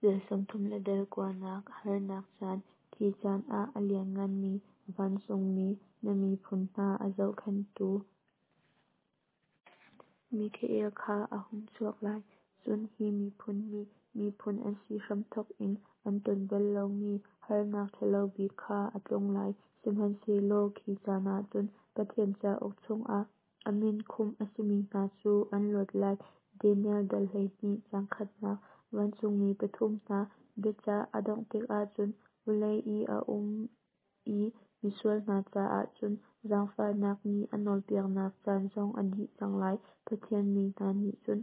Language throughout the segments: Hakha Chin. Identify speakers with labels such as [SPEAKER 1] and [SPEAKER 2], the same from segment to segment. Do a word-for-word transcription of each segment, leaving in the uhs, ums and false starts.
[SPEAKER 1] Dal sawmthum le dal kuanak harnak caan. Khi caan ah a liannganmi vancungmi, na miphun hna a zohkhenhtu Mikhael kha a hung chuak lai. Cun hi miphun nih miphun an si hramthawk in an ton bal lomi harnak ṭhalo bik kha a tlung lai. Sihmanhsehlaw khi caan ah cun Pathian cauk chungah a min khumh a simi hna cu an luat lai. Daniel dal hleihnih caang khatnak. Vancungmi pathum hna biacah a dongh tikah cun vawlei i a um i misual hna caah cun zaangfahnak nih a nawlpiaknak caan zong a dih cang lai. Pathian mi hna nih cun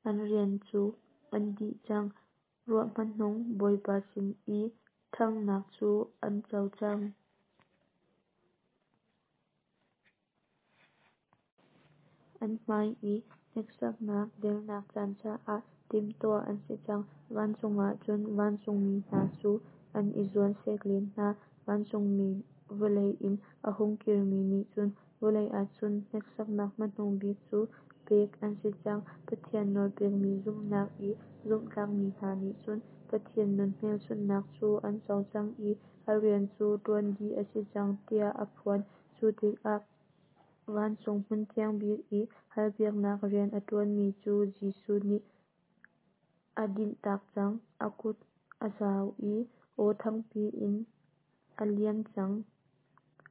[SPEAKER 1] an rian cu an dih cang, ruah hmanung Bawipa sin i ṭhanghnak cu an co cang. An hmai i hneksaknak dernak caan caah timhtuah an si cang. Vancung ah cun vancungmi hna cu an i zuan sek len hna. Vancungmi vawlei in a hung kirmi nih cun vawlei ah cun hneksaknak hmanung bik cu pek an si cang. Pathian nawlpekmi zumhnak i zumhtlakmi hna nih cun Pathian nun hmelchunhnak cu an co cang i a rian cu ṭuan dih a si cang tiah a phuan. Cu tikah vancung hmunthiang bik i halpiaknak rian a ṭuanmi cu Jesuh nih a dinhtak cang. A kut a zao i aw thangpi in, "A liim cang,"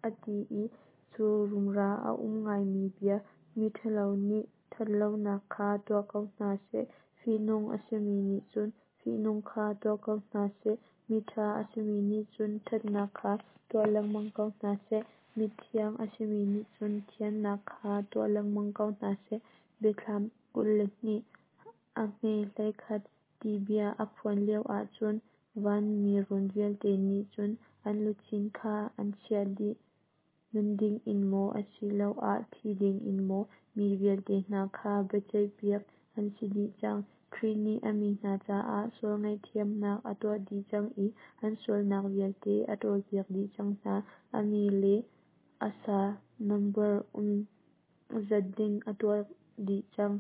[SPEAKER 1] a ti i cu rumra a um ngaimi bia, Miṭhalo nih ṭhatlonak kha tuah ko hna seh, fihnung a simi nih cun fihnung kha tuah ko hna seh, miṭha a simi nih cun ṭhatnak kha tuah lengmang ko hna seh, mithiang a simi nih cun thiannak kha tuah lengmang ko hna seh. Biathlam kul le hnih a hme hleikhat ti bia a phuan lioah cun vanmi run vialte nih cun an luchin kha an chiah dih. Nun dingin maw asiloah thi dingin maw mi vialte hna kha biaceihpiak an si dih cang. Khrih nih a mi hna caah sual ngaihthiamnak a tuah dih cang i an sualnak vialte a ṭawlpiak dih cang hna. A mi le a sa nambar um zat ding a tuah dih cang.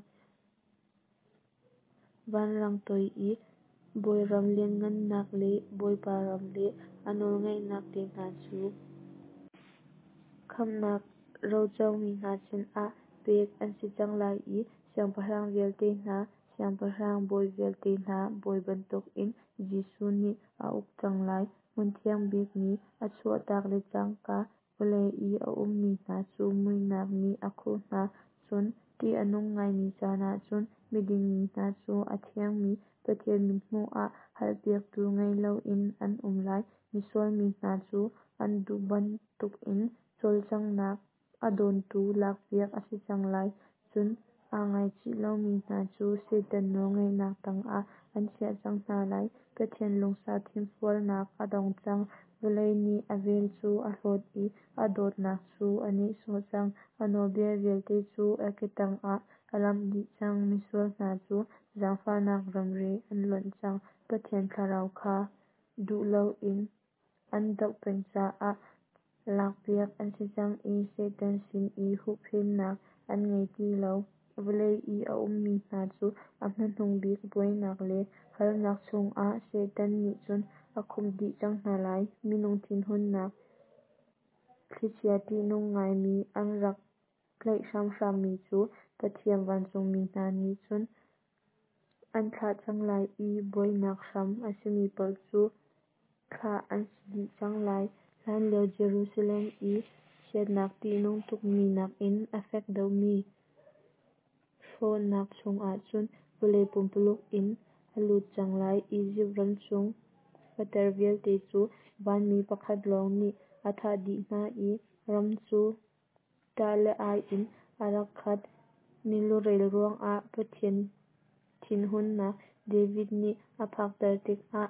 [SPEAKER 1] Vanrang toi i bawiram lianhngannak le Bawipa ram le a nawlngeihnak te hna cu khamhnak rocomi hna sinah pek an si cang lai i siangpahrang vialte hna Siangpahrang, bawi vialte hna Bawi bantukin Jesuh nih a uk cang lai. Hmunthiang bik nih a chuahtak le cangka vawlei i a ummi hna cu muihnak nih a khuh hna. Cun ṭih a nung ngaimi caan ah cun miding mi hna cu a thiangmi Pathian mithmuh ah halpiaktu ngei loin an um lai. Misual mi hna cu an duh bantukin cawlcanghnak a dawntu lakpiak a si cang lai. Cun aa ngaichih lomi hna cu Satan nawlngeihnak tangah an chiah cang hna lai. Pathian lungsau thinfualnak a dong cang. Vawlei nih a vel cu a hlawt i a dawtnak cu a nehsawh cang. A nawlbia vialte cu a ke tangah a lamh dih cang. Misual hna cu zaangfahnak ramri an lonh cang. Pathian Thlarau kha duh loin an doh peng caah lakpiak an si cang i Satan sin i huhphenhnak an ngei ti lo. Vawlei i a ummi hna cu a hmanung bik buainak le harnak chungah Satan nih cun a khumh dih cang hna lai. Minung thinhunnak thlichia ṭihnung ngaimi an rak tlaih hramhrammi cu Pathian vancungmi hna nih cun an thlah cang lai i buainak hram a simi paoh cu thlah an si dih cang lai. Hlanlio Jerusalem i chiatnak ṭihnung tukmi nakin a fek deuhmi hrawhnak chungah cun vawlei pumpululuk in a lut cang lai. Izipt ram chung fater vialte cu vanmi pakhat lawng nih a thah dih hna i ram cu ṭah le ai in a rak khat. Milurel ruangah Pathian thinhunnak David nih a phakter tikah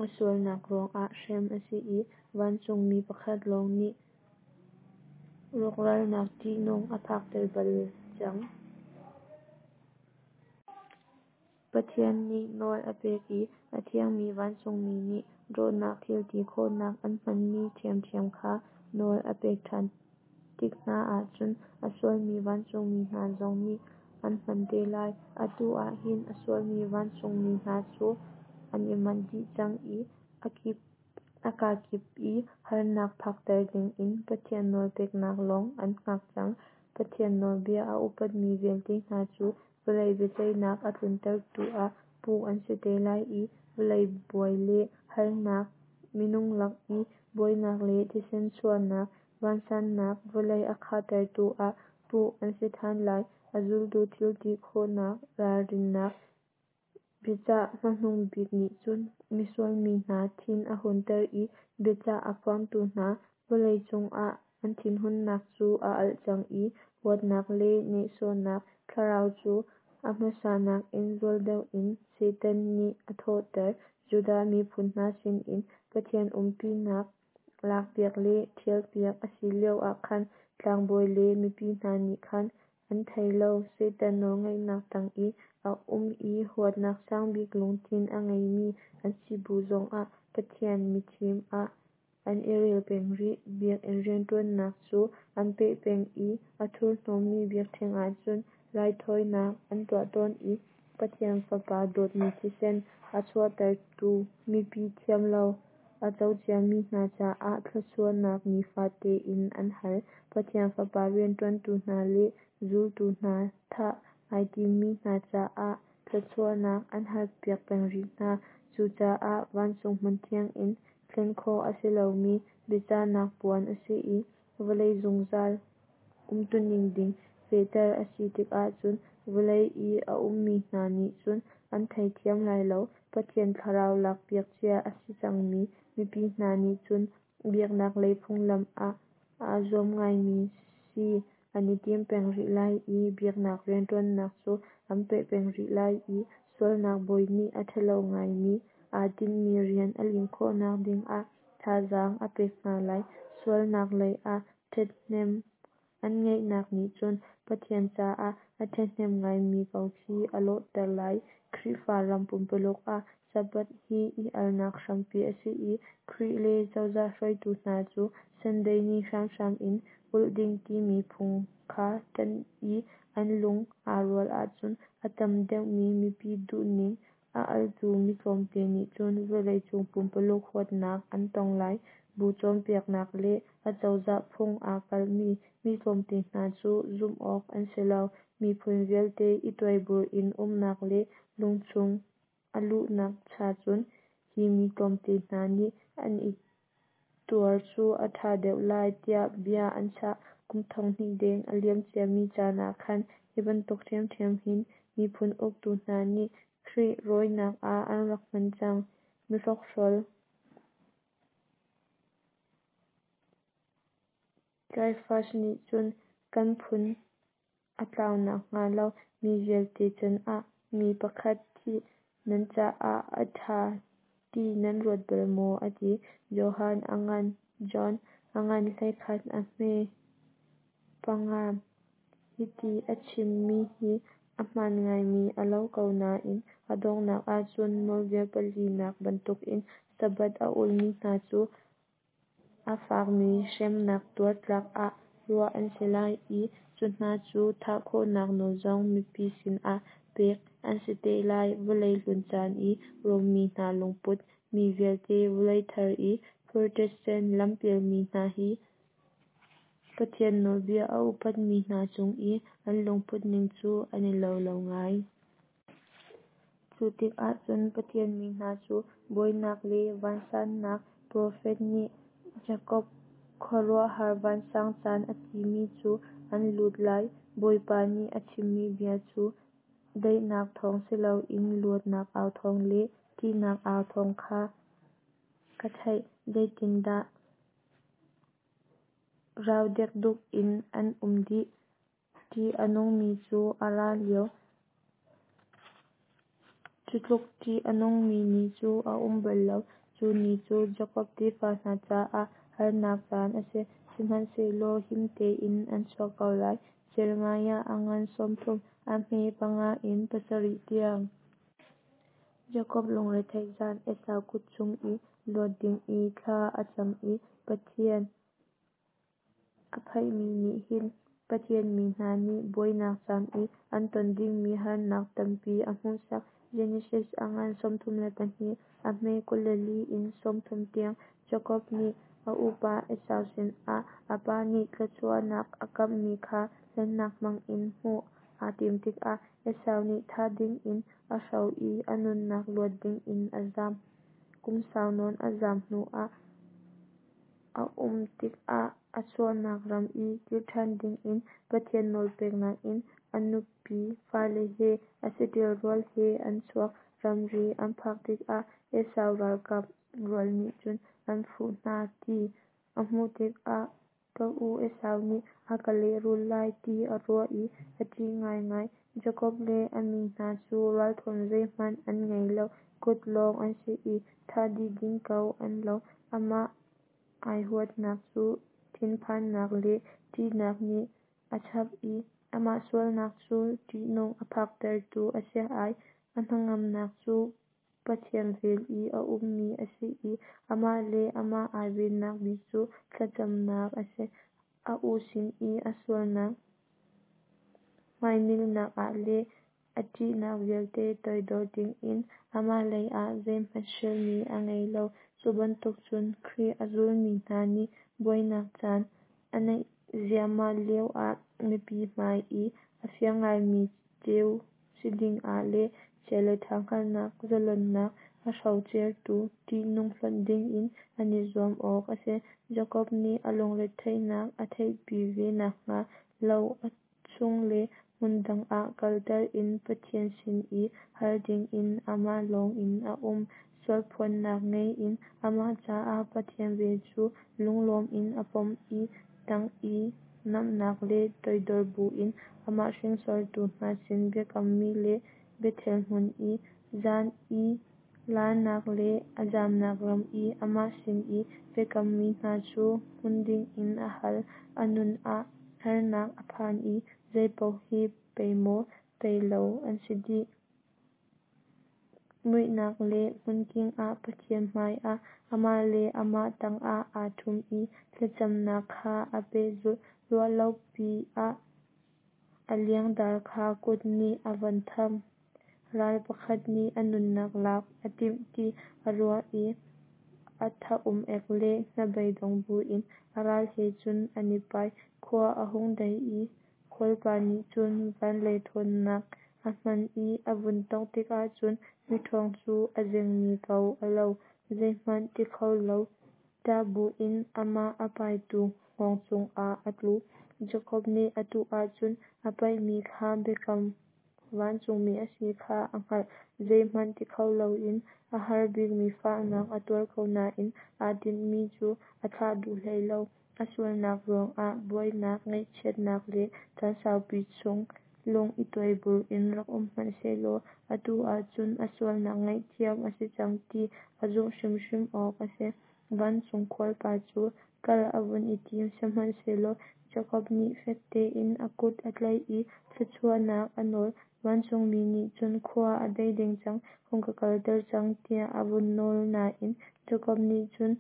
[SPEAKER 1] a sualnak ruangah hrem a si i vancungmi pakhat lawng nih rawkralnak ṭihnung a phakter bal cang. Pathian nih nawl a pek i a thiangmi vancungmi nih rawhnak thil ti khawhnak an hmanmi ṭhiamṭhiam kha nawl a pek ṭhan tik hna ahcun a sualmi vancungmi hna zong nih an hman te lai. Atu ah hin a sualmi vancungmi hna cu an i manh dih cang i a kakip i harnak phakter dingin Pathian nawlpeknak lawng an hngak cang. Pathian nawlbia a upatmi vialte hna cu vawlei biaceihnak a tluntertu ah puh an si te lai i vawlei buai le harnak, minung lak i buainak le thisen chuahnak, vansannak vawlei a khahtertu ah puh an si than lai. A zultu thil ti khawhnak ralrinnak biacah hmanung bik nih cun misual mi hna thin a hunter i biacah a phuangtu hna vawlei cungah an thinhunnak cu a alh cang i huatnak le nehsawhnak thlarau cu a hmasa nakin zual deuh in Satan nih a thawhter. Judah miphun hna sinin Pathian umpinak lakpiak le ṭhialpiak a si lioah khan tlangbawi le mipi hna nih khan an thei lo. Satan nawlngeihnak tang i a um i huatnak sangbik lungthin a ngeimi an si bu zongah Pathian mithim ah an i rel peng rih. Biakinn rianṭuannak cu an peh peng i a thurhnawmmi biakṭheng ah cun raithawinak an tuah tawn i Pathian Fapa dawtmi thisen a chuahtertu mipi thiamlo a co ciami hna caah thluachuahnak nifate in an hal. Pathian Fapa rianṭuantu hna le zultu hna thah ai timmi hna caah thluachuahnak an halpiak peng rih hna. Cucaah vancung hmunthiang in thlen khawh a si lomi biachahnak phuan a si i vawlei zungzal umtuning ding fehter a si tikah cun vawlei i a ummi hna nih cun an theithiam lai lo. Pathian thlarau lakpiak cia a si cangmi mipi hna nih cun biaknak lei phunglam ah aa zuam ngaimi si an i tim peng rih lai i biaknak rianṭuannak cu an peh peng rih lai i sualnak bawi nih a ṭhalo ngaimi aa tinhmi rian a lim khawhnak dingah thazaang a pek hna lai. Sualnak leiah ṭhathnem an ngeihnak nih cun Pathian caah a ṭhahnem ngaimi ko khi a lawhter lai. Khrihfa ram pumpuluk ah Sabbath hi i alnak hrampi a si i Khrih le cozah hruaitu hna cu Sunday ni hramhram in ulh ding timi phung kha ṭanh i an lung aa rual ahcun a tam deuhmi mipi duhning a altu mi tlawmte nih cun vawleicung pumpuluk huatnak an tong lai. Bu cawnpiaknak le acozah phung aa kalhmi mi tlawmte hna cu zumh awk an si lo. Miphun vialte i tuaibur in umnak le lungchung a luhnak cha cun hi mi tlawmte hna nih an i tuar cu a ṭha deuh lai tiah bia an chah. Kum thonghnih deng a liam ciami caan ah khan hi bantuk ṭhiamṭhiam hin miphun uktu hna nih Khrih rawinak ah an rak hman cang. Mihrokhrawl Caiaphas nih cun kan phun a tlau nakhnga lo mi vialte canah mi pakhat thih nan caah a ṭha ti nan ruat bal maw? a ti. Johan a ngan John a ngan hleikhat a hme panga. Hiti a chimmi hi a hmaan ngaimi a lo ko nain a donghnak ahcun nawlbia palinak bantukin Sabbath a ulmi hna cu a fakmi hremnak tuar tlak ah ruah an si lai i cu hna cu thah khawhnak nawl zong mipi sinah pek an si te lai. Vawlei hlun caan i Rom mi hna lungput mi vialte vawlei thar i Protestant lampialmi hna hi Pathian nawlbia a upatmi hna cung i an lungputning cu an i lo lo ngai. Cu tikah cun Pathian mi hna cu buainak le vansannak profet nih Jakob khuaruahhar vansang caan a timi cu an lut lai. Bawipa nih a chimmi bia cu daihnak thawng si loin luatnak au thawng le ṭihnak au thawng kha ka theih. Zeitindah rau dekduk in an um dih! Ṭih a nungmi cu a ra lio, cu tluk ṭih a nungmi ni cu a um bal lo. Cu ni cu Jakob tefa hna caah harnak caan a si, sihmanhsehlaw him tein an chuak ko lai. Jeremiah a ngan sawmthum a hme panga in pasarih tiang. Jakob lungretheih zan Esau kut chung i luat ding i thla a cam i Pathian a phaihmi nih hin Pathian mi hna nih buainak caan i an ton dingmi harnak tampi a hmuhsak. Genesis a ngan sawmthum le pahnih a hme kul le li in sawmthum tiang. Jakob nih a upa Esau sinah a pa nih thluachuahnak a kamhmi kha hlennak hmangin hmuh aa tim tikah Esau nih thah dingin a hro i a nunnak luat dingin a zam. Kum sau nawn a zam hnuah a um tikah a chuahnak ram i kir ṭhan dingin Pathian nawlpeknak in a nupi fale he a saṭil rual he an chuak. Ramri an phak tikah Esau ralkap rual nih cun an fuh hna ti a hmuh tikah ka u Esau nih a ka lehrul lai ti a ruah i a ṭih ngaingai. Jakob le a mi hna cu ralthuam zeihmanh an ngei lo, kut lawng an si i thah dih ding ko an lo. Amah ai huatnak cu thinphannak le ṭihnak nih a chap i amah sualnak cu ṭihnung a phaktertu a si ai. A hnangamnak cu Pathian vel i a ummi a si i amah le amah ai vennak bik cu thlacamnak a si. A u sin i a sualnak hmainilnak ah le a ṭihnak vialte toidor dingin amah lei ah zeihmanh hrilmi a ngei lo. Cu bantuk cun Khrih a zulmi hna nih buainak caan a naih ziahmah lio ah mipi hmai i a fiang ngaimi ceu si dingah le chia le ṭha hngalhnak zalonnak a hrocertu ṭihnung hlonh dingin an i zuam awk a si. Jakob nih a lungretheihnak a theihpi ve nakhnga lo a chungle hmundang ah kalter in Pathian sin i hal dingin amah lawngin a um. Sualphuannak ngei in amah caah Pathian vel cu lunglawm in a pom i tang i namnak le toidor buin amah hringsortu hna sin biakammi le Bethel hmun i zan i larnak le a zamnak ram i amah sin i biakammi hna cu hmun dingin a hal. A nun ah harnak a phan i zeipaoh hi pei maw pei lo an si dih. Muihnak le hmunking ah Pathian hmaiah amah le amah tangah aa ṭhum i thlacamnak kha a pehzulh. Ruahlopi ah a liangdar kha kut nih a van tham. Ral pakhat nih a nunnak lak a timh ti a ruah i a tha-um-ek le hnabeidong buin a ral he cun an i pai. Khua a hung dei i khualpa nih cun van lei ṭhawnnak a hman i a vun tawngh tikah cun miṭhawng cu a zengmi ko a lo, zeihmanh ti kho lo, ṭah buin amah a paitu hngawng cungah a tlu. Jakob nih atu ahcun a paihmi kha biakam vancungmi a si kha a hngalh. Zeihmanh ti kho loin a har bikmi fahnak a tuar ko nain aa tinhmi cu a thlah duh hlei lo. A sualnak ruangah buainak, ngaihchiatnak le caan saupi chung lung i tuaibur in rak um hmanh sehlaw atu ahcun a sualnak ngaihthiam a si cang ti a zumh hrimhrim awk a si. Vancung khualpa cu kal a vun i tim, sihmanhsehlaw Jakob nih fek tein a kut a tlaih i thluachuahnak a nawl. Vancungmi nih cun khua a dei deng cang, hung ka kalter cang tiah a vun nawl nain Jakob nih cun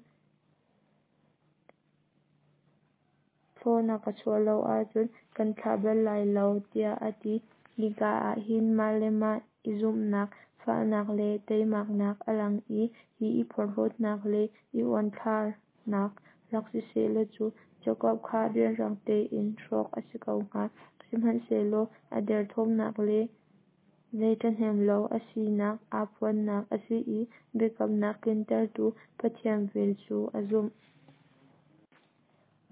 [SPEAKER 1] thlaw na ka chuah lo ahcun kan thlah bal lai lo tiah a ti. Hika ah hin mah le mah i zumhnak, fahnak le teimaknak a lang i hi i porhlawtnak le i uanthlarnak rak si sehlaw cu Jakob kha rianrang tein hrawk a si ko hnga. Sihmanhsehlaw a derthawmnak le zei ṭhahnem lo a sinak aa phuannak a si i biakamnak tlintertu Pathian vel cu a zumh.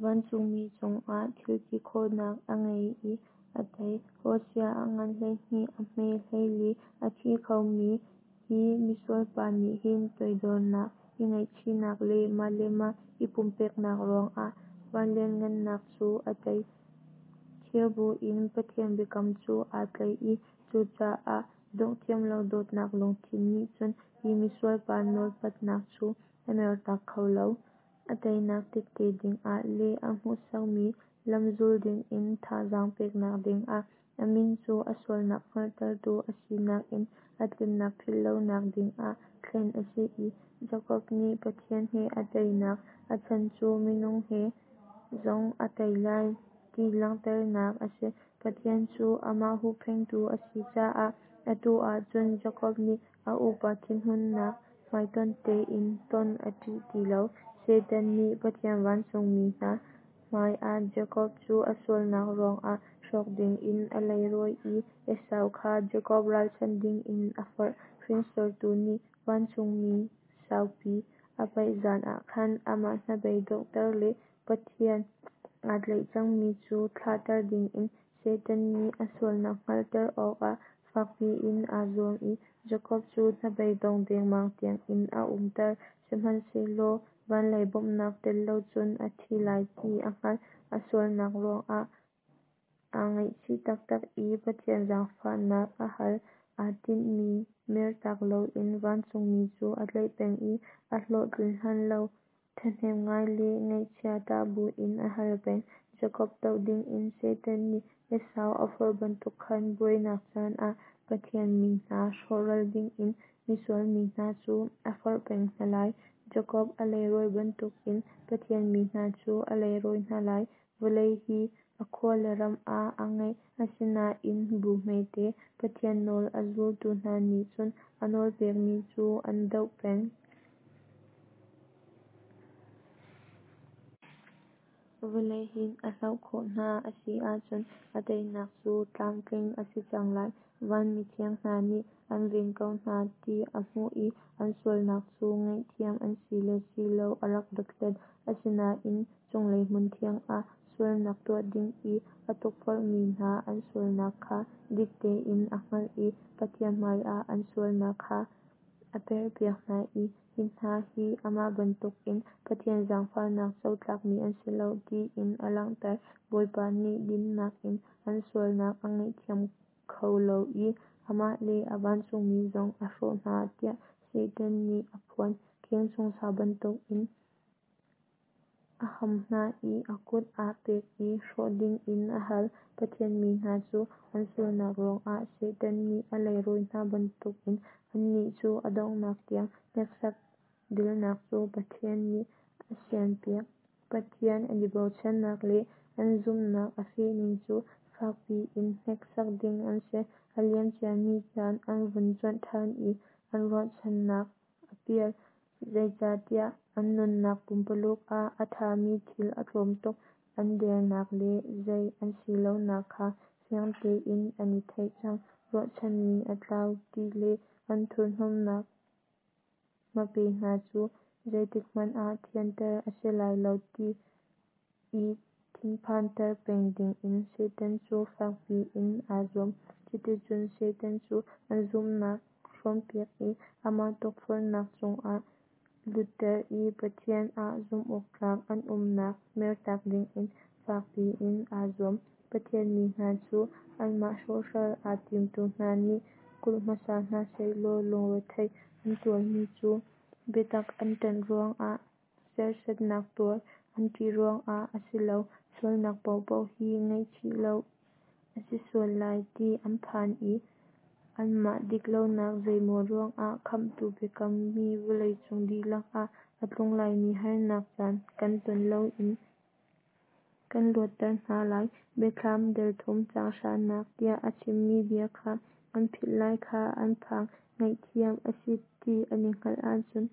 [SPEAKER 1] Vancungmi cungah thil ti khawhnak a ngei i a tei. Hosea a ngan hleihnih a hme hleili a thi khomi hi misualpa nih hin toidornak, i ngaihchihnak le mah le mah i pumpeknak ruangah van lianhngannak cu a tei. Thir buin Pathian biakam cu aa tlaih i cucaah dongh thiam lo dawtnak lungthin nih cun hi misualpa nawlpatnak cu a mertak kho lo. A teinak tette dingah le a hmuhsakmi lam zul dingin thazaang peknak dingah a min cu a sualnak hngalhtertu a sinak in a tlinnak philhlonak dingah thlen a si i Jakob nih Pathian he a teinak a chan cu minung he zong a tei lai ti langhternak a si. Pathian cu amah huhphenhtu a si caah Atu ah cun Jakob nih a upa thinhunnak hmaitonh tein ton a ṭih ti lo. Satan nih Pathian vancungmi hna hmai ah Jakob cu a sualnak ruangah hrawk dingin a leirawi i Esau kha Jakob ralchanh dingin a forh. Hringsortu nih vancungmi saupi a paih zan ah khan amah hnabei donghter le Pathian aa tlaih cangmi cu thlahter dingin Satan nih a sualnak hngalhter awkah fakpi in aa zuam i Jakob cu hnabei dong dengmang tiangin a umter. Sihmanhsehlaw vanlei bawmhnak tel lo cun a thi lai ti a hngalh. A sualnak ruangah aa ngaihchih taktak i Pathian zaangfahnak a hal. Aa tinhmi mertak loin vancungmi cu a tlaih peng i a hlawhtlin hlan lo ṭhahnem ngai le ngaihchia ṭah buin a hal peng. Jakob doh dingin Satan nih Esau a forh bantuk khan buainak caan ah Pathian mi hna hrawhral dingin misual mi hna cu a forh peng hna lai. Jakob a leirawi bantukin Pathian mi hna cu a leirawi hna lai. Vawlei hi a khua le ram ah a ngeih, asinain bu hmete Pathian nawl a zultu hna nih cun a nawlpekmi cu an doh peng. Vawlei hin a hloh khawh hna a si ahcun a teinak cu tlamtling a si cang lai. Van mithiang hna nih an ven ko hna ti a hmuh i an sualnak cu ngaihthiam an si le si lo a rak dothlat. Asinain cunglei hmunthiang ah sualnak tuah ding i a tukforhmi hna an sualnak kha dik tein a hngalh i Pathian hmaiah an sualnak kha a perhpiak hna i hi hna hi amah bantukin Pathian zaangfahnak co tlakmi an si lo tiin a langhter. Bawipa nih dinnak in an sualnak a ngaihthiam kho lo i amah le a vancungmi zong a hrawh hna tiah Satan nih a phuan. Kheng chung sa bantukin a ham hna i a kut aa pek i hrawh dingin a hal. Pathian mi hna cu an sualnak ruangah Satan nih a leirawi hna bantukin annih cu a donghnak tiang hneksak dilnak cu Pathian nih a sianpiak. Pathian an i bochannak le an zumhnak a fehning cu fakpi in hneksak ding an si. A liamciami caan an vun cuanh ṭhan i an ruahchannak a pial, zeicahtiah an nunnak pumpululuk ah a ṭhami thil a tlawm tuk. An dernak le zei an si lonak kha fiang tein an i theih cang. Ruahchanmi a tlau ti le an thurhnawmnak hmape hna cu zeitikhmanh ah thianter a si lai lo ti i thinphanter peng dingin Satan cu fakpi in aa zuam. Cuticun Satan cu an zumhnak hrawnpiak i amah tukforhnak chungah lutter i Pathian ah zumhawktlak an umnak mertak dingin fakpi in aa zuam. Pathian mi hna cu anmah hrawhhral aa timtu hna nih kulh hmasa hna sehlaw lungrethei an tuarmi cu biatak an ṭanh ruangah, serhsatnak tuar an ṭih ruangah a si lo. Sualnak paohpaoh hi ngaihchih lo a si sual lai ti an phan i anmah diklonak zeimaw ruangah Khamhtu biakammi vawleicung dihlak ah a tlung laimi harnak caan kan ton loin kan luatter hna lai Biathlam dal thum caang hranak tiah a chimmi bia kha an philh lai kha an phang. Ngaihthiam a si ti an i hngalh ahcun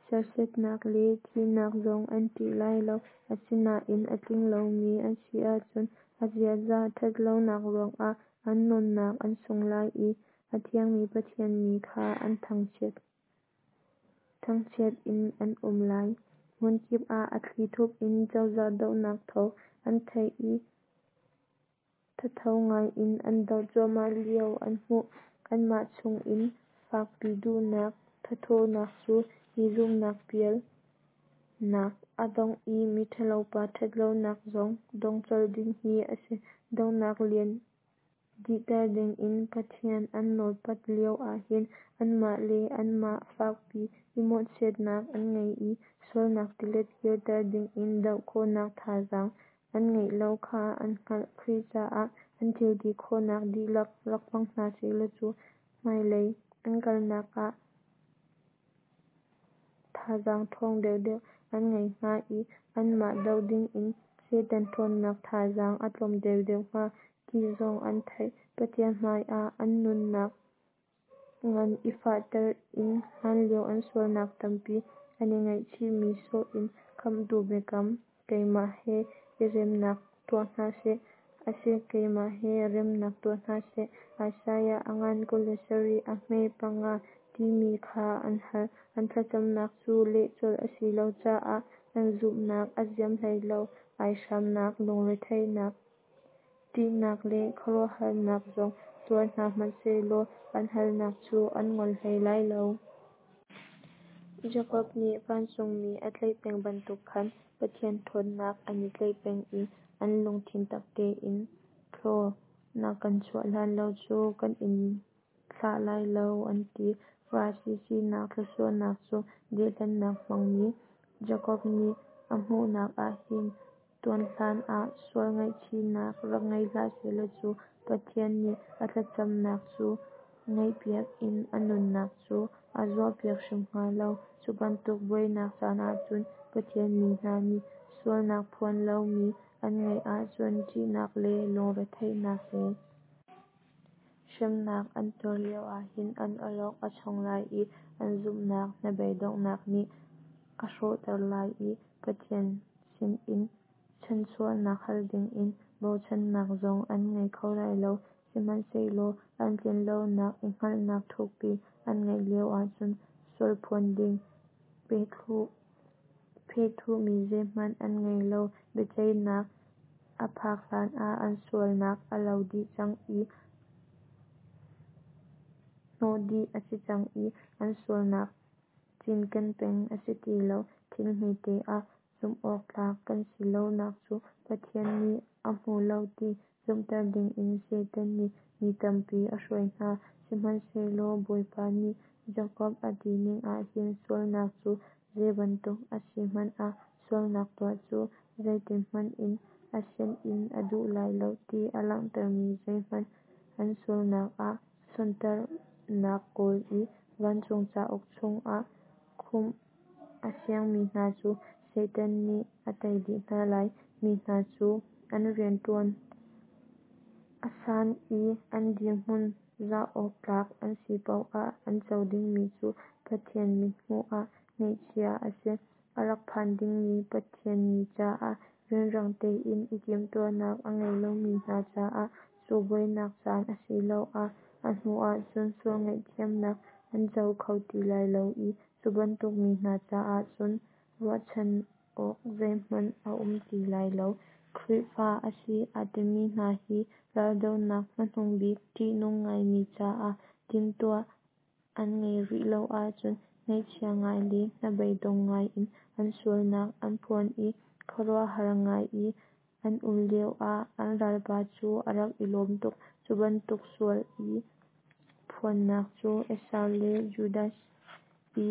[SPEAKER 1] serhsatnak le thihnak zong an ṭih lai lo. Asinain a tling lomi an si ahcun a ziaza ṭhatlonak ruangah an nunnak an sung lai i a thiangmi Pathian mi kha an thangchiat. Thangchiat in an um lai. Hmunkip ah a thlithup in cozah dohnak thawng an theih i thatho ngaiin an doh cuahmah lio an hmuh. Anmah chungin fakpi duhnak thathawhnak cu mi zumhnak pialnak a dongh i miṭhalopa ṭhatlonak zong dong colh ding hi a si. Dohnak lian dihter dingin Pathian an nawlpat lio ahhin anmah le anmah fakpi i mawhchiatnak an ngei i sualnak tilet kirter dingin doh khawhnak thazaang an ngeih lo kha an hngalh. Khrih caah an thilti khawhnak dihlak rak hmang hna sehlaw cu hmailei an kalnak ah thazaang ṭhawng deuhdeuh an ngei hnga i anmah doh dingin Satan ṭhawnnak thazaang a tlawm deuhdeuh hnga ti zong an theih. Pathian hmaiah an nunnak ngan i fahter in hlanlio an sualnak tampi an i ngaihchihmi sawh in Khamhtu biakam, Keimah he i remnak tuah hna seh, asi keimah he remnak tuah hna seh, Isaiah a ngan kul le sarih a hme panga, timi kha an hal. An thlacamnak cu leh colh a si lo caah an zumhnak a ziam hlei lo. Aihramnak, lungretheihnak, ṭihnak le khuaruahharnak zong tuar hna hmanhsehlaw an halnak cu an ngol hlei lai lo. Jakob nih vancungmi a tlaih peng bantuk khan Pathian ṭhawnnak an i tlaih peng i an lungthin tak tein, Thlaw na kan chuah hlan lo cu kan in thlah lai lo, an ti. Farasi sinak thluachuahnak cu dehhlennak hmangmi Jakob nih a hmuhnak ah hin tuanhlan ah sual ngaihchihnak rak ngei hlah sehlaw cu Pathian nih a thlacamnak cu ngaihpiak in a nunnak cu a zuahpiak hrim hnga lo. Cu bantuk buainak caan ahcun Pathian mi hna nih sualnak phuan lomi an ngeih ahcun ṭihnak le lungretheihnak he hremnak an tuar lio ahhin an awlok a chong lai i an zumhnak hnabeidonghnak nih a hrawhter lai i Pathian sinin chanhchuahnak hal dingin bochannak zong an ngei kho lai lo. Sihmanhsehlaw an tlinlonak i hngalhnak thukpi an ngeih lio ahcun sualphuan ding phehthuhmi zeihmanh an ngei lo. Biaceihnak a phak hlanah an sualnak a lo dih cang i hnawh dih a si cang i an sualnak cinken peng a si ti lo. Thil hmete ah zumhawktlak kan si lonak cu Pathian nih a hmu lo ti zumhter dingin Satan nih mi tampi a hruai hna. Sihmanhsehlaw Bawipa nih Jakob a tining ahhin sualnak cu zeibantuk a si hmanh ah sualnak tuah cu zeitihmanh in a sian in a duh lai lo ti a langhtermi zeihmanh an sualnak ah sonhtarhnak kawl i vancung cauk chungah khumh a siangmi hna cu Satan nih a tei dih hna lai. Mi hna cu an rianṭuan a san i an dirhmun zoh awk tlak an si paoh ah an co dingmi cu Pathian mithmuh ah ngeihchia a si. A rak phan dingmi Pathian ni caah rianrang tein i timhtuahnak a ngei lomi hna caah cu buainak caan asiloah a hnu ahcun sual ngaihthiamnak an co kho ti lai lo i cu bantuk mi hna caah cun ruahchan awk zeihmanh a um ti lai lo. Khrihfa a si aa timi hna hi raldohnak hmanungbik ṭihnung ngaimi caah timhtuah an ngeih rih lo ahcun ngaihchia ngai le hnabeidong ngai in an sualnak an phuan i khuaruahhar ngai i an um lio ah an ralpa cu a rak i lawm tuk. Cu bantuk sual i phuannak cu Esau le Judas i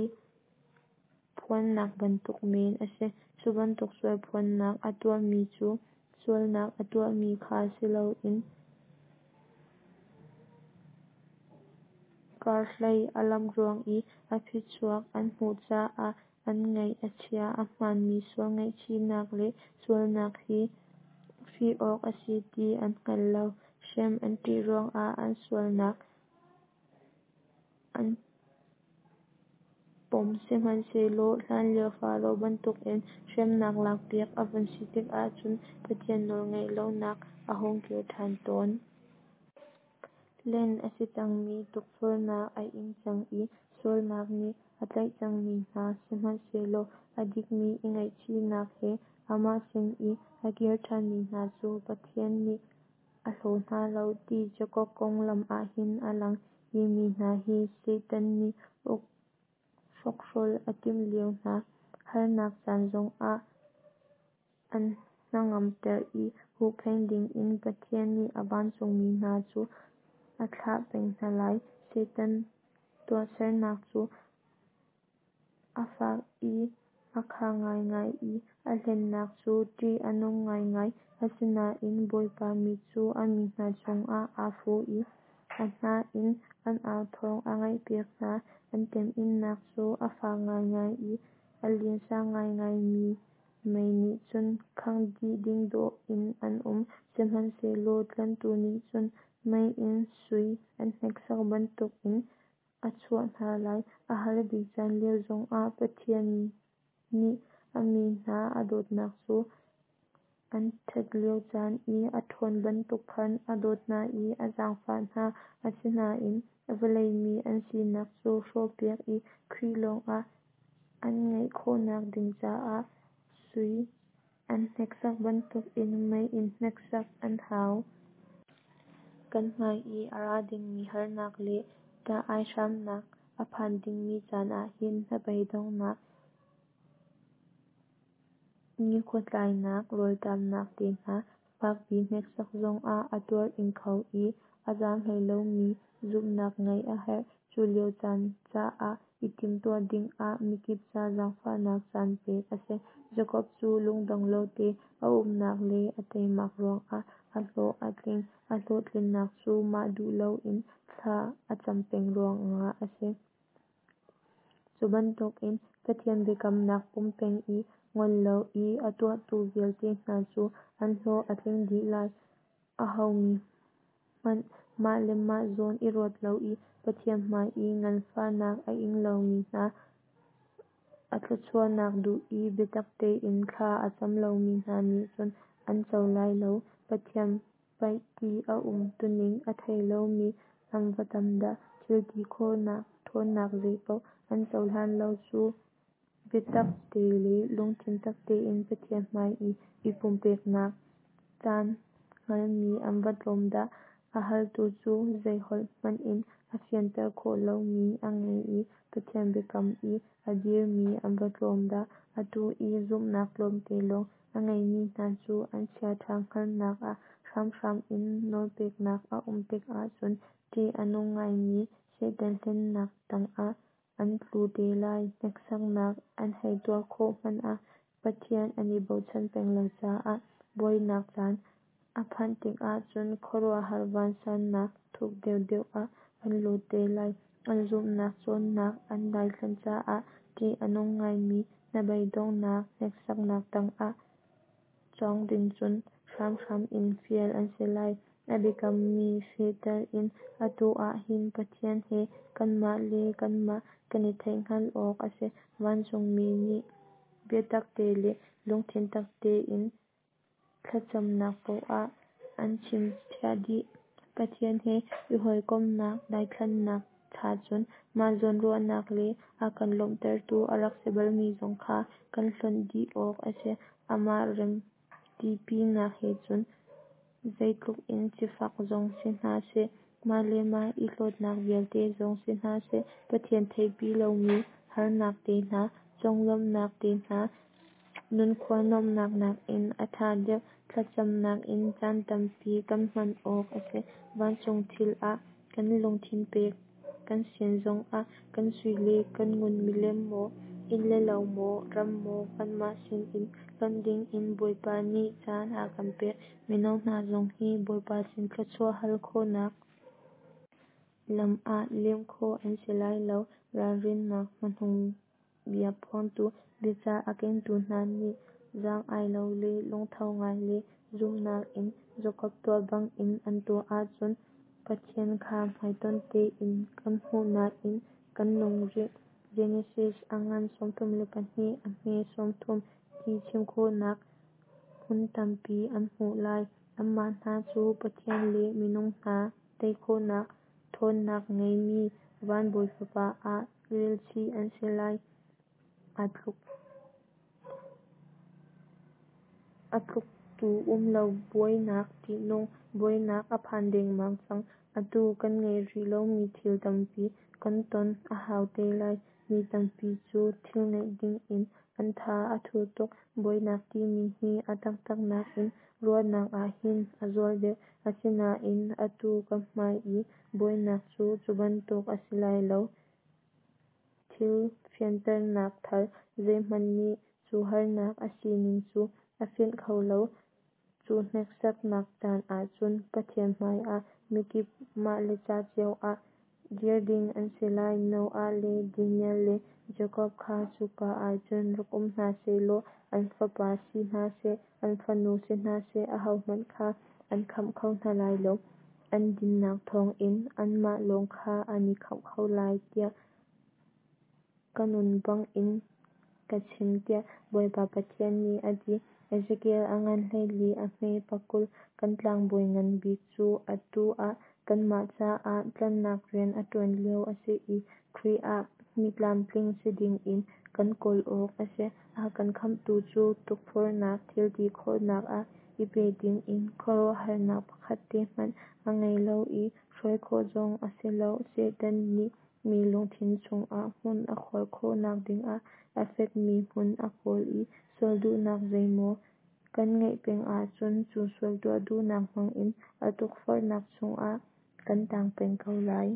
[SPEAKER 1] phuannak bantuk men a si. Cu bantuk sual phuannak a tuahmi cu sualnak a tuahmi kha si loin karhlei a lamh ruang i a phichuak an hmuh caah an ngaih a chia. A hmaanmi sual ngaihchihnak le sualnak hi fih awk a si ti an hngal lo. Hrem an ṭih ruangah an sualnak an pom sihmanhsehlaw hlanlio Faro bantukin hremnak lakpiak a vun si tikah cun Pathian nawlngaih lonak a hung kir ṭhan tawn. Hlen a si cangmi, tukforhnak a ing cang i sualnak nih a tlaih cangmi hna, sihmanhsehlaw a dikmi i ngaihchihnak he amah sin i a kir ṭhanmi hna cu Pathian nih a hlaw hna lo ti Jakob konglam ahhin a lang. Hi mi hna hi Satan nih uk hrokhrol a timh lio hna harnak caan zongah an hnangamter i huhphenh dingin Pathian nih a vancungmi hna cu a thlah peng hna lai. Satan tuahsernak cu a fak i a kha ngaingai i a hlennak cu ṭih a nung ngaingai. Asinain Bawipa mit cu a mi hna cungah aa fu i a hna in an au thawng a ngaihpiak hna. An temhinnak cu a fak ngaingai i a linsa ngaingaimi mei nih cun khangh dih ding dawh in an um. Sihmanhsehlaw tlanhtu nih cun mei in sui an hneksak bantukin a chuah hna lai. A har bik caan lio zongah Pathian nih a mi hna a dawtnak cu an ṭhat lio caan i a ṭhawn bantuk khan a dawt hna i a zaangfah hna. Asinain vawlei mi an sinak cu hrawhpiak i Khrih lawngah an ngeih khawhnak ding caah sui an hneksak bantukin mei in hneksak an hau. Kan hmai i a ra dingmi harnak le ṭah aihramnak a phan dingmi caan ah hin hnabeidonghnak, nikhua tlainak, rawlṭamnak te hna fakpi hneksak zongah a tuar ing kho i a zam hlei lomi zumhnak ngeih a herh. Cu lio caan caah i timhtuah dingah mikip ca zaangfahnak caan pek a si. Jakob cu lungdong lo te a umnak le a teimak ruangah a hlawh a tling. A hlawhtlinnak cu mah duh loin thla a cam peng ruangah a si. Cu bantukin Pathian biakamnak pom peng i ngol lo i a tuahtu vialte hna cu an hlawh a tling dih lai. Aho mi hmanh mah le mah zawn i ruat lo i Pathian hmai i nganfahnak a ing lomi hna, a thluachuahnak duh i biatak tein thla a cam lomi hna nih cun an co lai lo. Pathian paih ti a um tuning a thei lomi an va tam dah! Thil ti khawhnak ṭhawnnak zeipaoh an cohlan lo cu biatak te le lungthin tak tein Pathian hmai i i pumpeknak caan hngalmi an va tlawm dah! A haltu cu zei holh hmanh in a fianter khawh lomi a ngei i Pathian biakam i a dirmi an va tlawm dah! Atu i zumhnak tlawmte lawng a ngeimi hna cu an chiaṭha hngalhnak ah hramhram in nawlpeknak a um tikah cun ṭih a nung ngaimi Satan hlennak tangah an tlu te lai. Hneksaknak an hei tuar khawh hmanh ah Pathian an i bochan peng lo caah buainak caan a phanh tikah cun khuaruahhar vansannak thuk deuhdeuh ah an lut te lai. An zumhnak cawnnak an daithlan caah ṭih a nung ngaimi hnabeidonghnak hneksaknak tangah cawng ding cun hramhram in fial an si lai. A biakammi fehter in atu ah hin Pathian he kanmah le kanmah kan i theihhngalh awk a si. Vancungmi nih biatak te le lungthin tak tein thlacamnak paoh an chimchiah dih. Pathian he i hawikomhnak daithlannak cha cun mah zawnruahnak le a kan lawmhtertu a rak si balmi zong kha kan hlonh dih awk a si. Amah remtipinak he cun zeitluk in sifak zong si hna seh, mah le mah i hlawtnak vialte zong si hna seh, Pathian theihpi lomi harnak te hna, conglawmhnak te hna, nunkhua nuamhnak nakin a ṭha deuh. Thlacamnak in caan tampi kan hman awk a si. Vancung thil ah kan lungthin pek kan sian zongah kan sui le kan ngun milem maw, inn le lo maw, ram maw kanmah sinin hlonh dingin Bawipa nih caan a kan pek. Mino hna zong hi Bawipa sin thluachuah hal khawhnak lam ah lem khawh an si lai lo. Ralrinnak hmanung bia phuangtu, biacah a kengtu hna nih zaang-ai lo le lungtho ngai le zumhnak in Jakob tuah bangin an tuah ahcun Pathian kha hmaitonh tein kan hmuh nain kan nung rih (Genesis a ngan sawmthum le pahnih a hme sawmthum) ti chim khawhnak hmun tampi an hmuh lai. Anmah hna cu Pathian le minung hna tei khawhnak ṭhawnnak ngeimi van bawi fapa ah relchih an si lai. Aa tluk a tluktu um lo buainak ṭihnung buainak a phan dengmang cang. Atu kan ngeih rih lomi thil tampi kan ton a hau te lai. Mi tampi cu thil ngeih dingin an tha a thu tuk. Buainak timi hi a taktak nakin ruahnak ah hin a zual deuh. Asinain atu kan hmai i buainak cu cu bantuk a si lai lo. Thil fianternak thar zeihmanh nih cu harnak a sining cu a fianh kho lo. Cu hneksaknak caan ahcun Pathian hmaiah mikip mah le ca cio ah dir ding an si lai. Noah le Daniel le Jakob kha cuka ahcun rak um hna sehlaw an fapa si hna seh, an fanu si hna seh, ahohmanh kha an khamh kho hna lai lo. An dinnak thawngin anmah lawng kha an i khamh kho lai tiah ka nun bangin ka chim, tiah Bawipa Pathian nih a ti. Ezekiel a ngan hleili a hme pakul. Kan tlangbawi ngan bik cu atu ah kanmah caah tlanhnak rian a ṭuan lio a si i Khrih ah mi tlamtling si dingin kan kawl awk a si. A kan khamhtu cu tukforhnak thilti khawhnak ah i pe dingin khuaruahharnak pakhat te hmanh a ngei lo i hruai khawh zong a si lo. Satan nih mi lungthin chungah hmun a khuar khawhnak dingah a fekmi hmun a kawl i sual duhnak zeimaw kan ngeih peng ahcun cu sual tuah duhnak hmangin a tukforhnak chungah kan tang peng ko lai.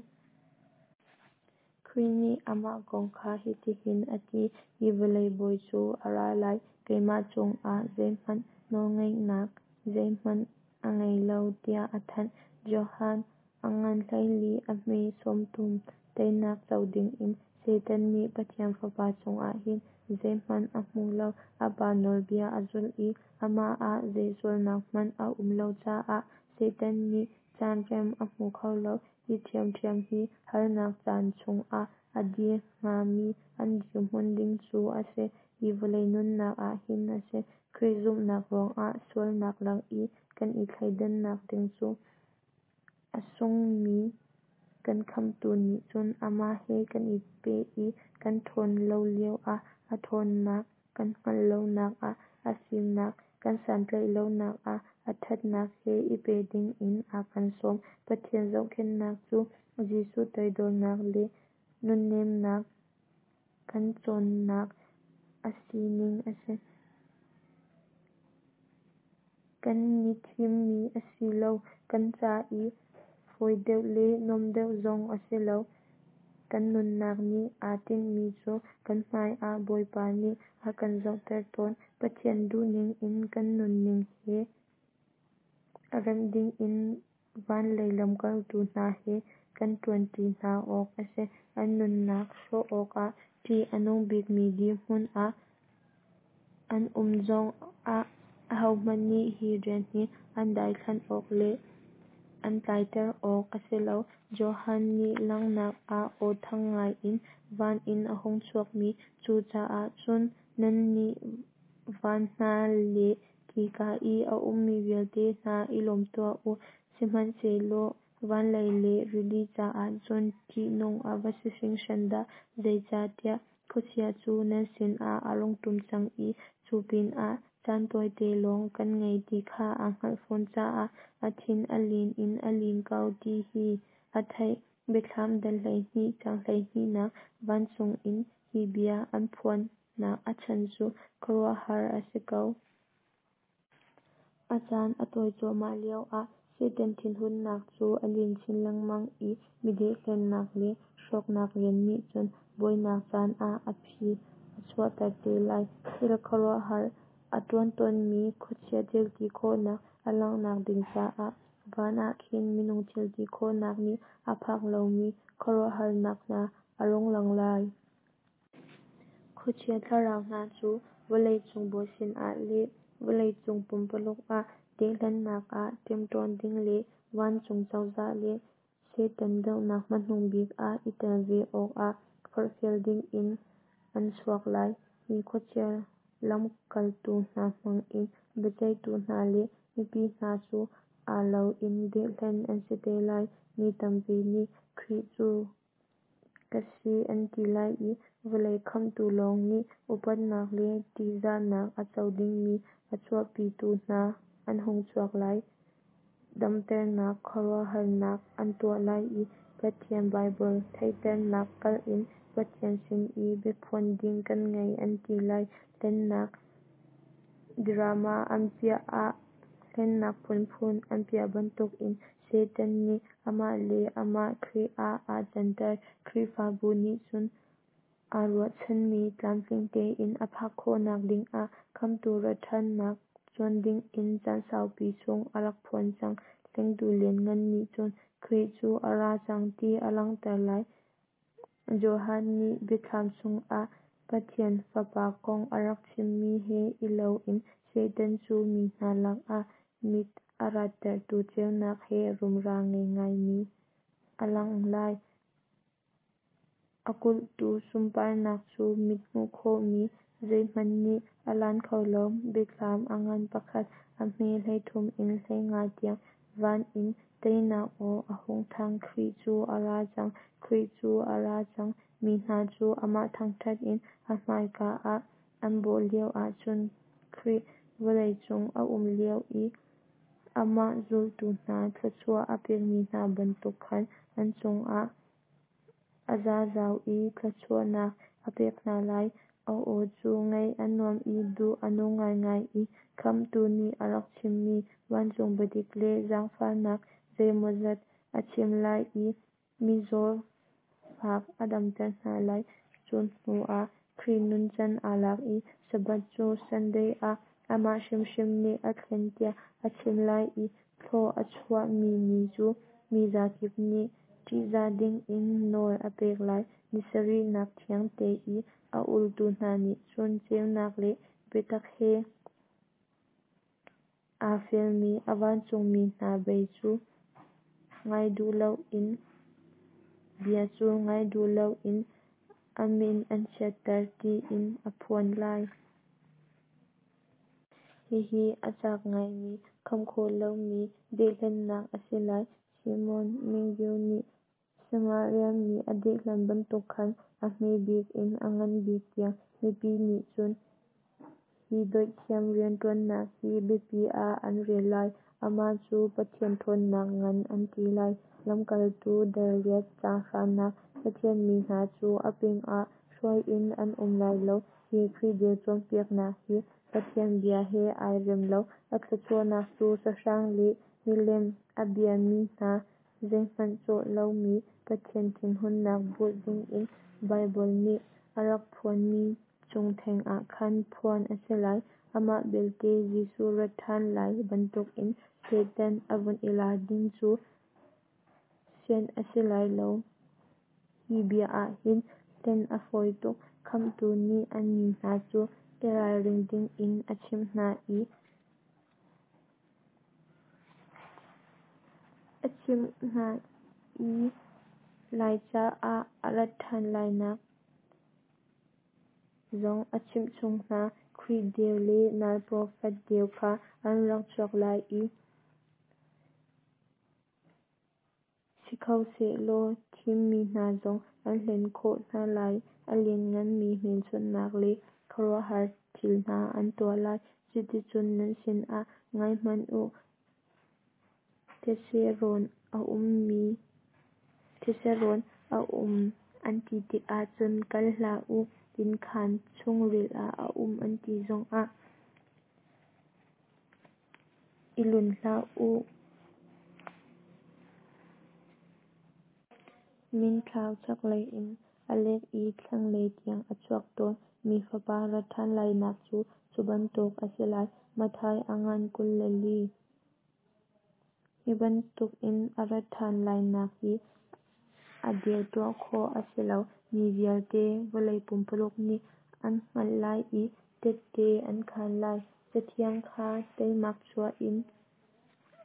[SPEAKER 1] Khrih nih amah kong kha hitihin a ti: Hi vawlei bawi cu a ra lai, keimah cungah zeihmanh nawlngeihnak zeihmanh a ngei lo, tiah a thanh. Johan a ngan hleili a hme sawmthum. Teinak co dingin Satan nih Pathian Fapa cungah hin zeihmanh a hmu lo. A Pa nawlbia a zulh i amah ah zei sualnak hmanh a um lo caah Satan nih caan rem a hmu kho lo. Hi ṭhiamṭhiam hi harnak caan chungah a dir hngami an dirhmun ding cu a si. Hi vawlei nunnak ah hin a si. Khrih zumhnak ruangah sualnak lak i kan i thleidannak ding cu a sungmi kan Khamhtu nih cun amah he kan i peh i kan ṭhawn lo lioah a ṭhawnnak, kan hngalh lonak ah a fimnak, kan santlaih lonak ah a ṭhatnak he i peh dingin a kan sawm. Pathian zohkhenhnak cu Jesuh toidornak le nunnemnak kan cawnnak a sining a si. Kan i thimmi a si lo, kan ca i fawi deuh le nuam deuh zong a si lo. Kan nunnak nih aa tinhmi cu kan hmaiah Bawipa nih a kan zohter tawn. Pathian duhning in kan nunning he remh dingin van lei lamkaltu hna he kan ṭuanṭi hna awk a si. An nunnak hrawh awkah ṭih a nung bikmi dirhmun ah an um zongah ahohmanh nih hi rian hi an daithlanh awk le an tlaiter awk a si lo. Johan nih langhnak ah aw thang ngaiin van in a hung chuakmi, Cucaah cun nannih van hna le khika i a ummi vialte hna i lawm tuah u! Sihmanhsehlaw van lei le rili caah cun ṭihnung a va si hringhran dah! Zeicahtiah khuachia cu nan sinah a rung ṭum cang i cu pinah caan tawite lawng kan ngei ti kha aa hngalh fawn caah a thin a lin in a lin ko, ti hi a theih. Biathlam dal hleihnih caang hleihnihnak Vancung in hi bia an phuannak a chan cu khuaruahhar a si ko. A caan a tawi cuahmah lioah Satan thinhunnak cu a lin chin lengmang i mi dehhlennak le hrawknak rian nih cun buainak caan ah a phi a chuahter te lai. Thil khuaruahhar a ṭuan tawnmi khuachia thilti khawhnak a langhnak ding caah van ah khin minung thilti khawhnak nih a phak lomi khuaruahharnak hna a rung lang lai. Khuachia thlarau hna cu vawlei cung bawi sinah le vawlei cung pumpaluk ah dehhlennak ah ṭemṭawn ding le vancung cozah le Satan dohnak hmanung bik ah i tel ve awkah forhfial dingin an chuak lai. Hi khuachia lamkaltu hna hmangin biaceihtu hna le mipi hna cu aa lo in dehhlen an si te lai. Mi tampi nih Khrih cu ka si an ti lai i vawlei khamhtu lawng nih upatnak le ṭihzahnak a co dingmi a chuahpitu hna an hung chuak lai. Damternak khuaruahharnak an tuah lai i Pathian Baibal theihternak kalh in Pathian sin i biaphuan ding kan ngei an ti lai. Hlennak drama an piah ah hlennak phunphun an piah bantukin Satan nih amah le amah Khrih ah aa canter. Khrihfabu nih cun aa ruahchanmi tlamtling tein a phak khawhnak dingah Khamhtu rat ṭhannak cuan dingin caan saupi chung a rak phuan cang. Hlengtu lianngan nih cun Khrih cu a ra cang ti a langhter lai. Johan nih Biathlam chungah Pathian Fapa kong a rak chimmi he i loin Satan cu mi hna lakah Mit a rattertu ceunak he rumra ngei ngaimi a lang lai. A kulhtu sunparnak cu mit hmuh khawhmi zeihmanh nih a lan kho lo. Biathlam a ngan pakhat, a hme hleithum in hleinga tiang. Van in teinak aw a hung thang, Khrih cu a ra cang, Khrih cu a ra cang. Mi hna cu amah thangṭhat in a hmaika ah an bawh lioah cun Khrih vawleicung a um lio i amah zultu hna thluachuah a pekmi hna bantuk khan an cungah a zazau i thluachuahnak a pek hna lai. A aw cu ngaih a nuam i duh a nung ngaingai i Khamhtu nih a rak chimmi vancung biadik le zaangfahnak zeimawzat a chim lai i mizaw fak a damter hna lai. Cu hnuah Khrih nuncan aa lak i Sabbath cu Sunday ah amah hrimhrim nih a thlen tiah a chim lai i thlua a chuahmi ni cu mi zakip nih ṭihzah dingin nawl a pek lai. Ni sarihnak thiangte i a ultu hna nih cun ceunak le biatak he aa fialmi a vancungmi hna bei cu ngai duh loin bia cu ngai duh loin a min an chiatter tiin a phuan lai. Hihi a cak ngaimi kham khawh lomi dehhlennak a si lai. Simon Magus nih Samaria mi a dehhlen bantuk khan a hme bik in a ngan bik tiang mipi nih cun hi dawithiam rianṭuannak hi biapi ah an rel lai. Amah cu Pathian ṭhawnnak ngan an ti lai. Lamkaltu dal riat caang hranak Pathian mi hna cu a pingah hruai in an um lai lo. Hi Khrih deu cawnpiaknak hi Pathian bia he ai rem lo. A thluachuahnak cu sahrang le milem a biami hna zeihmanh cawh lomi Pathian thinhunnak bulh dingin Baibal nih a rak phuanmi cung thengah khan phuan a si lai. Amah belte Jesuh rat ṭhan lai bantukin Satan a vun i lar ding cu sianh a si lai lo. Hi bia ah hin hlen a fawi tuk. Khamhtu nih a mi hna cu i ralring dingin a chimh hna i a chimh hna i lai caah a rat ṭhan lainak zong a chimhchung hna. Khrih deu le nal profet deu kha an rak chuak lai i si kho sehlaw thimmi hna zong an hlen khawh hna lai. A liannganmi hmelchunhnak le khuaruahhar thil hna an tuah lai. Cuticun nan sinah, Ngaihmanh u, thetse rawn a thetse rawn a um an ti tikah cun kal hlah u, innkhaan chungril ah a um an ti zongah i lun hlah u. Mintlau chaklei in a lek i thlanglei tiang a chuak tawn. Mi Fapa rat ṭhan lainak cu cu bantuk a si lai. Matthai a ngan kul le li. Hi bantukin a rat ṭhan lainak hi a deu tuah khawh a si lo. Mi vialte vawlei pumpuluk nih an hngalh lai i tette an khaan lai. Cathiang kha teimak chuah in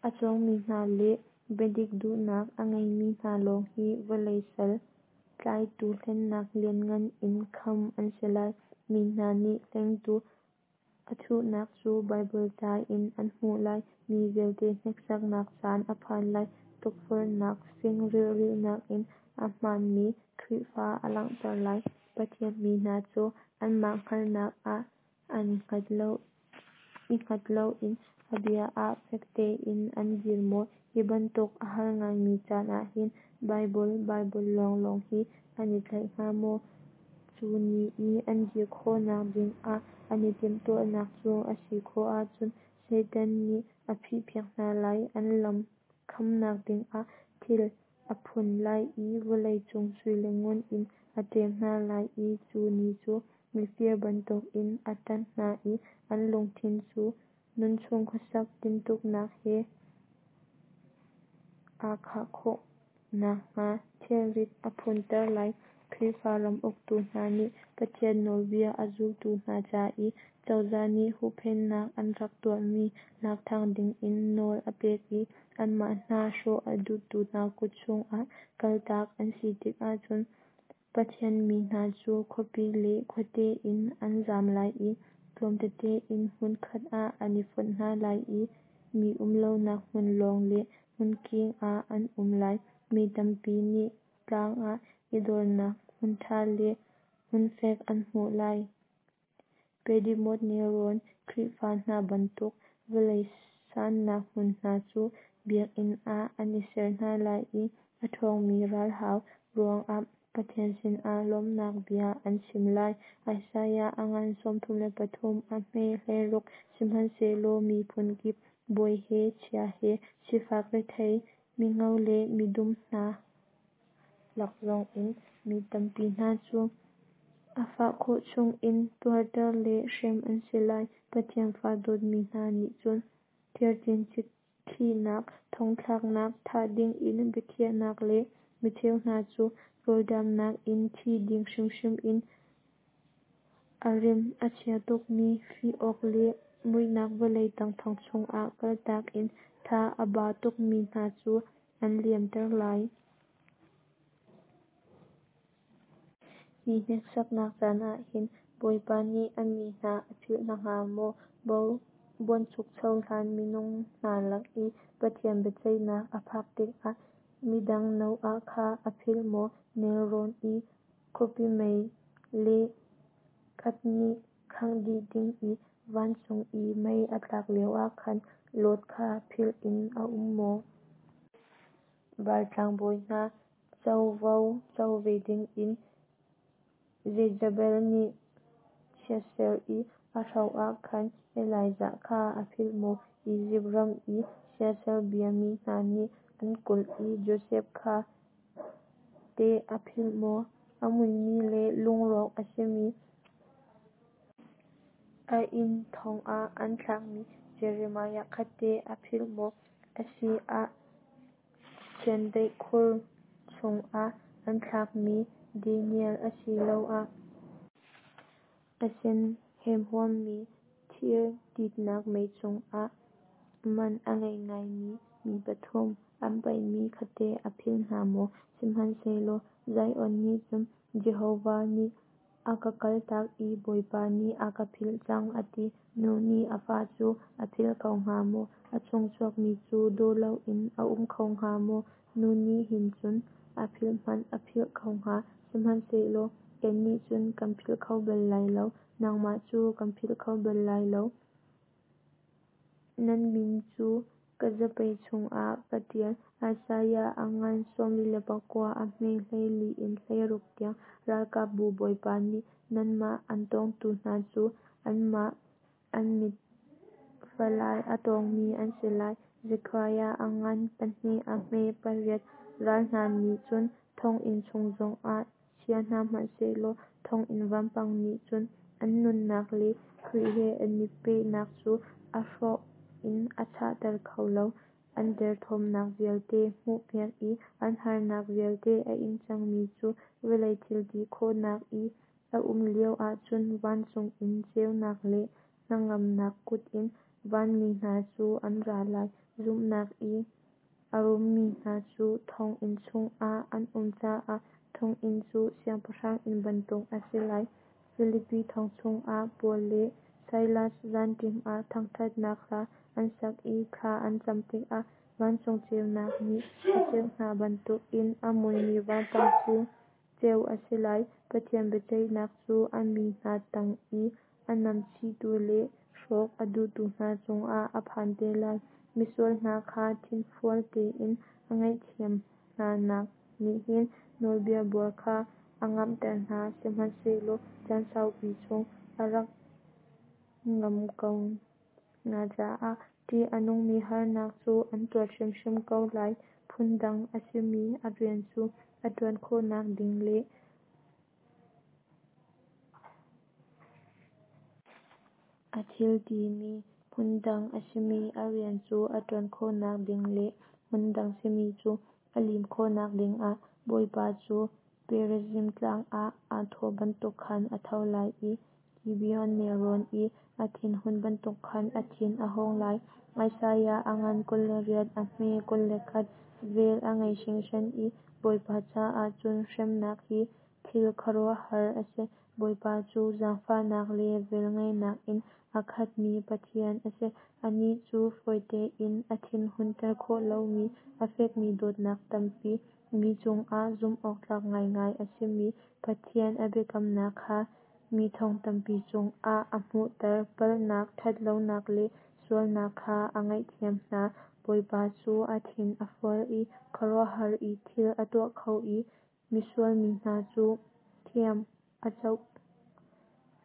[SPEAKER 1] a cawngmi hna le biadik duhnak a ngeimi hna lawng hi vawlei sal tlaitu hlennak lianngan in khamh an si lai. Mi hna nih hlengtu a thuhnak cu Baibal ca in an hmuh lai. Mi vialte hneksaknak caan a phan lai. Tukforhnak fing rilhnak in a hmaanmi Khrihfa a langhter lai. Pathian mi hna cu anmah hngalhnak ah an hngat lo, i hngat loin a bia ah fek tein an dir maw? Hi bantuk a har ngaimi caan ah hin Baibal, Baibal lawnglawng hi an i tlaih hnga maw? Cu ni i an dir khawhnak dingah an i timhtuahnak cu a si khawh ahcun Satan nih a phihpiak hna lai. An lam khamnak dingah thil a phun lai i vawlei cung sui le ngun in a ṭem hna lai i cu ni cu mifir bantukin a tanh hna i an lungthin cu nunchung khuasak tintuknak he aa khah khawh nakhnga thilrit a phunter lai. Khrihfa ram uktu hna nih Pathian nawlbia a zultu hna ca i cozah nih huhphenhnak an rak tuahmi lak ṭhan dingin nawl a pek i anmah hna hrawh a duhtu hna kut chungah kaltak an si tikah cun Pathian mi hna cu khuapi le khuate in an zam lai i tlawm tete in hmunkhat ah an i fonh hna lai i mi umlonak hmun lawng le hmunking ah an um lai. Mi tampi nih tlang ah i dornak hmunṭha le hmunfek an hmuh lai. Piedmont nelrawn Khrihfa hna bantuk vawlei sannak hmun hna cu biakinn ah an i ser hna lai i a ṭhawngmi ralhau ruangah Pathian sinah lawmhnak bia an chim lai. Isaiah a ngan sawmthum le pathum a hme hleiruk. Sihmanhsehlaw miphun kip, bawi he chia he, sifak rethei, mingo le midum hna lak zongin mi tampi hna cu a fah khawh chungin tuarter le hrem an si lai. Pathian fa dawtmi hna nih cun thir cincik khihnak, thongthlaknak, thah dingin biakhiahnak le micheu hna cu rawlṭamnak in thi ding hrimhrim in a rim a chia tukmi fih awk le muihnak vawlei tang thong chungah kaltak in tha a ba tukmi hna cu an liamter lai. Hi hneksaknak caan ah hin Bawipa nih a mi hna a philh hna hnga maw? Buanchukcho hlan minung hna lak i Pathian biaceihnak a phak tikah midang Noah kha a philh maw? Nelrawn i khuapi mei le kat nih khangh dih ding i vancung i mei a tlak lioah khan Lot kha philh in a um maw? Baal tlangbawi hna covo co ve dingin Jezebel nih chiatser i a hro ah khan Elijah kha a philh maw? Izipt ram i siasal biami hna nih an kulh i Josef kha teh a philh maw? A muimi le lungrawk a simi, a inn thong ah an thlakmi Jeremiah kha teh a philh maw? A si ah chiandeih khur chungah an thlakmi Daniel asiloah a sen hemhuammi thir titnak mei chungah man a ngei ngaimi mi pathum an paihmi kha teh a philh hna maw? Sihmanhsehlaw Zion nih cun, Jehovah nih a ka kaltak i Bawipa nih a ka philh cang, a ti. Nu nih a fa cu a philh kho hnga maw? A chung chuakmi cu daw loin a um kho hnga maw? Nu nih hin cun a philh hmanh a philh ko hnga, sihmanhsehlaw kannih cun kan philh kho bal lai lo, nangmah cu kan philh kho bal lai lo. Nan min cu ka zapei cungah ka ṭial. Isaiah a ngan sawmli le pakua a hme hleili in hleiruk tiang. Ralkapbu Bawipa nih nanmah an tawngtu hna cu anmah an mit falai a tawngmi an si lai. Zekhariah a ngan pahnih a hme pariat. Ral hna nih cun thonginn chung zongah chia hna hmanh sehlaw thonginn vampang nih cun an nunnak le Khrih he an i pehnak cu a hrawh in a chahter kho lo. An derthawmnak vialte hmuhpiak i an harnak vialte a ing cangmi cu vawlei thilti khawhnak i a um lio ahcun vancung in ceunak le hnangamnak kut in vanmi hna cu an ra lai. Zumhnak i a rummi hna cu thonginn chungah an um caah thonginn cu siangpahrang inn bantuk a si lai. Filipi thong chungah Paul le Silas zanṭim ah thangṭhatnak hla an sak i thla an cam tikah vancung ceunak nih a ceuh hna bantukin a muimi vampang cu ceuh a si lai. Pathian biaceihnak cu a mi hna tang i a namchihtu le hrawk a duhtu hna cungah a phan te lai. Misual hna kha thinfual tein a ngaihthiam hnanak nih hin nawlbia buar kha a ngamhter hna, sihmanhsehlaw caan saupi chung a rak ngamh ko hna caah ṭih a nungmi harnak cu an tuar hrimhrim ko lai. Phundang a simi a rian cu a ṭuan khawhnak ding le a thil timi hmundang a simi a rian cu a ṭuan khawhnak ding le hmundang simi cu a lim khawhnak dingah Bawipa cu Perazim Tlang ah aa thawh bantuk khan a tho lai i Gibeon nelrawn i a thinhun bantuk khan a thin a hung lai. Isaiah a ngan kul le riat, a hme kul le khat. Vel a ngei hringhran i Bawipa caah cun hremnak hi thil khuaruahhar a si. Bawipa cu zaangfahnak le velngeihnak in a khatmi Pathian a si, Anih cu fawi tein a thinhunter khawh lomi a fekmi dawtnak tampi, mi cungah zumhawktlak ngaingai a simi Pathian a biakamnak kha mi thong tampi cungah a hmunhter, Palhnak, ṭhat lonak le sualnak kha a ngaihthiam hna. Bawipa cu a thin a fual i khuaruahhar i thil a tuah kho i misual mi hna cu thiam a coh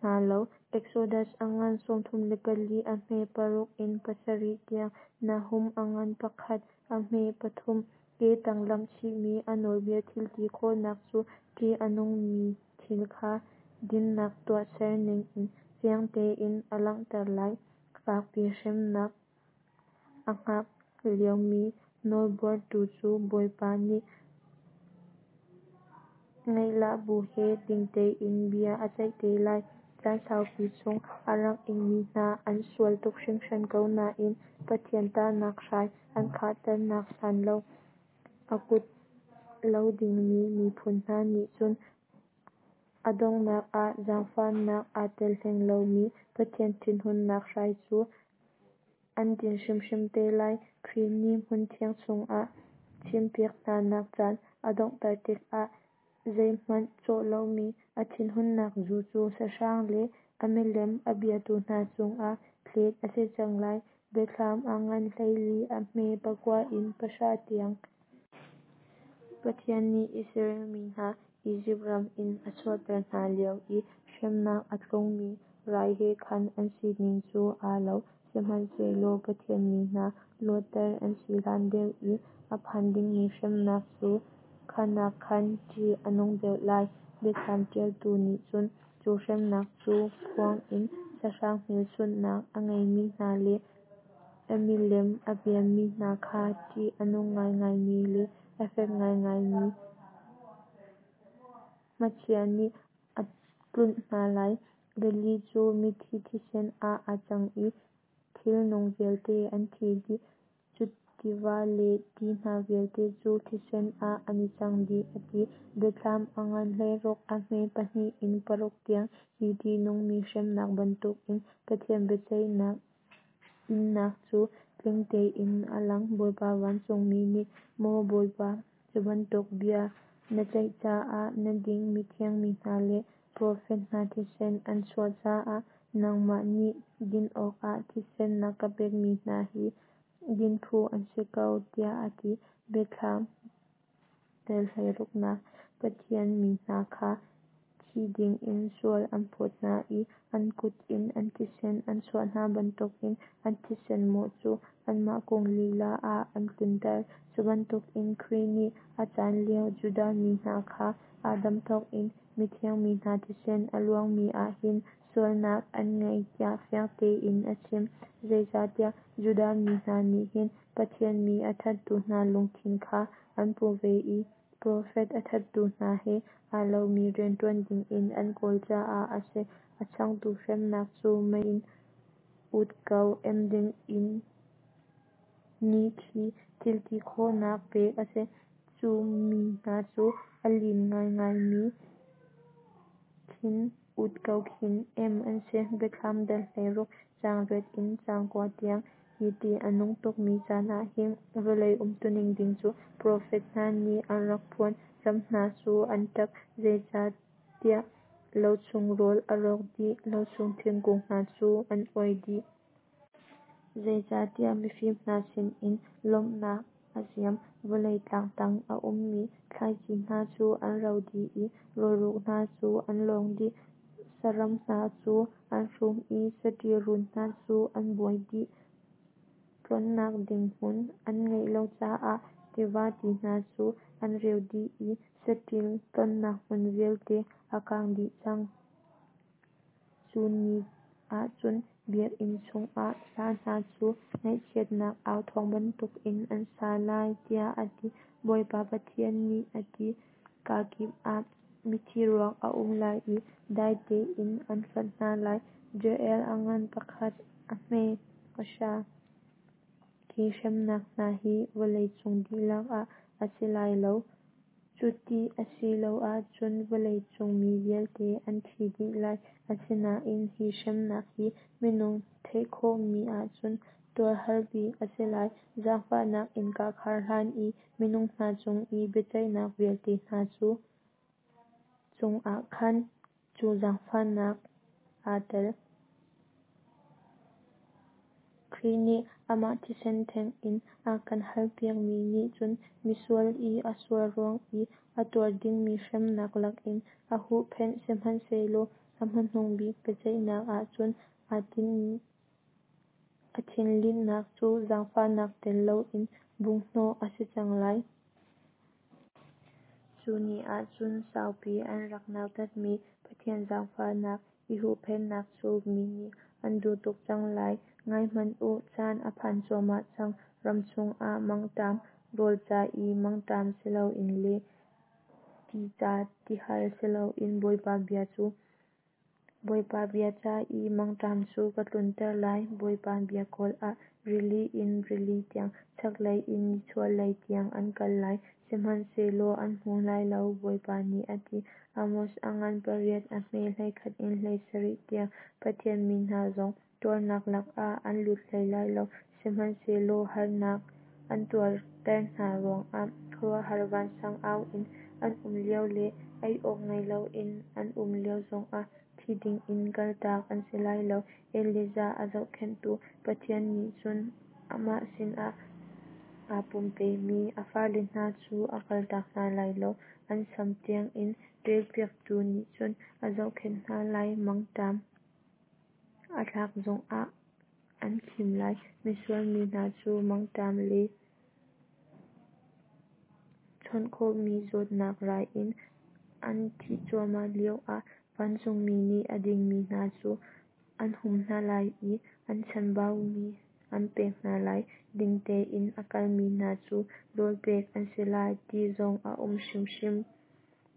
[SPEAKER 1] hna lo. Exodus a ngan sawmthum le pali, a hme paruk in pasarih tiang. Nahum a ngan pakhat, a hme pathum. Ke tang lamh chihmi a nawlbia thil ti khawhnak cu ṭih a nungmi thil kha dinnak tuahser ning in fiang tein a langhter lai. Fakpi hremnak a hngak liomi nawlbuartu cu Bawipa nih ngaihlah bu he ding tein bia a ceih te lai. Caan saupi chung a rak ingmi hna an sual tuk hringhran ko nain Pathian tahnak hrai an khahternak hlan lo a kuat lo dingmi miphun hna nih cun a donghnak ah zaangfahnak aa tel hleng lomi Pathian thinhunnak hrai cu an din hrimhrim te lai. Khrih nih hmunthiang chungah thimpiak hnanak caan a donghter tikah zeihmanh cawh lomi a thinhunnak zu cu sahrang le a milem a biatu hna cungah thlet a si cang lai. Biathlam a ngan hleili, a hme pakua in pahra tiang. Pathian nih Israel mi hna Izipt ram in a chuahter hna lio i hremnak a tlungmi rai he khan an sining cu aa lo. Sihmanhsehlaw Pathian mi hna luatter an si hlan deuh i a phan dingmi hremnak cu kha nakkhan ṭih a nung deuh lai. Biathlam ṭialtu nih cun cu hremnak cu phuang in sahrang hmelchunhnak a ngeimi hna le a milem a biami hna kha ṭih a nung ngaingaimi le a fek ngaingaimi hmachia nih a tlunh hna lai. Rili cu mithi thisen ah aa cang i thilnung vialte an thi dih. Cu tiva le ti hna vialte cu thisen ah an i cang dih, a ti. Biathlam a ngan hleiruk, a hme pahnih in paruk tiang. Hi ṭihnungmi hremnak bantukin Pathian biaceihnak innak cu tling tein a lang. Bawipa vancungmi nih, Maw Bawipa, cu bantuk bia na ceih caah na ding, mithiang mi hna le profet hna thisen an chuah caah nangmah nih din awkah thisen na ka pekmi hna hi din phu an si ko, tiah a ti. Biathlam dal hleiruknak. Pathian mi hna kha thi dingin sual an phawt hna i an kut in an thisen an chuah hna bantukin an thisen mawh cu anmah cung lila ah an tlunter. Cu bantukin Khrih nih a caan lio Judah mi hna kha Adam thawngin mithiang mi hna thisen a luangmi ah hin sualnak an ngei tiah fiang tein a chim. Zeicahtiah Judah mi hna nih hin Pathian mi a thattu hna lungthin kha an pu ve i profet a thattu hna he aa lomi rian ṭuan dingin an kawl caah a si. A changtu hremnak cu mei in ut ko em ding mi khi thil ti khawhnak pek a si. Cu mi hna cu a lin ngaingaimi khin ut ko khin em an si. Biathlam dal hleiruk, caang riat in caang kua tiang. Hi ṭih a nung tukmi caan ah hin vawlei umtuning ding cu profet hna nih an rak phuan. Ram hna cu an ṭap, zeicahtiah lo chung rawl a rawk dih, lo chung thingkung hna cu an uai dih. Zeicahtiah mifim hna sinin lawmhnak a ziam, vawlei tlang tang a ummi thlaici hna cu an ro dih i rawlruk hna cu an lawng dih. Saram hna cu an hrum i saṭil run hna cu an buai dih. Tlonnak ding hmun an ngeih lo caah tiva ti hna cu an reu dih i saṭil tlonnak hmun vialte a kang dih cang. Cu ni ah cun biakinn chungah hla hna cu ngaihchiatnak au thawng bantukin an sa lai, tiah a ti. Bawipa Pathian nih a ti. Kakip ah mithi ruak a um lai i dai tein an hlonh hna lai. Joel a ngan pakhat a hme pahra. Hi hremnak hna hi vawlei cung dihlak ah a si lai lo, cu ti a si lo ahcun vawlei cung mi vialte an thi dih lai. Asinain hi hremnak hi minung theih khawhmi ahcun tuar har bik a si lai. Zaangfahnak innka khar hlan i minung hna cung i biaceihnak vialte hna chungah khan cu zaangfahnak aa tel. Khrih nih amah thisen theng in a kan halpiakmi nih cun misual i a sual ruang i a tuar dingmi hremnak lakin a huhphenh. Sihmanhsehlaw a hmanung bik biaceihnak ah cun a thinlinhnak cu zaangfahnak tel loin bunghhnawh a si cang lai. Cu ni ah cun saupi an rak nautatmi Pathian zaangfahnak i huhphenhnak cu mi nih an duh tuk cang lai. Ngai hmanh u, caan a phan cuahmah cang, ram chungah mangṭam, rawl ca i mangṭam si loin le ti ca tihal si loin Bawipa bia cu Bawipa bia ca i mangṭam cu ka tlunter lai. Bawipa bia kawl ah rili in rili tiang, chaklei in nichuahlei tiang an kal lai, sihmanhsehlaw an hmu lai lo, Bawipa nih a ti. Amos a ngan pariat a hme hleikhat in hleisarih tiang. Pathian mi hna zong tuarnak lakah an lut hlei lai lo, sihmanhsehlaw harnak an tuarter hna ruangah khuaruahhar vansang au in an um lio le ei awk ngei loin an um lio zongah thi dingin kaltak an si lai lo. Elijah a zohkhenhtu Pathian nih cun amah sinah aa pumpemi a fale hna cu a kaltak hna lai lo. An sam tiangin relpiaktu nih cun a zohkhenh hna lai. Mangṭam a tlak zongah an khim lai. Misual mi hna cu mangṭam le chawnh khawhmi zawtnak rai in an thih cuahmah lioah vancungmi nih a dingmi hna cu an hum hna lai i an chanbaumi an pek hna lai. Ding tein a kalmi hna cu rawl pek an si lai. Ti zong a um hrimhrim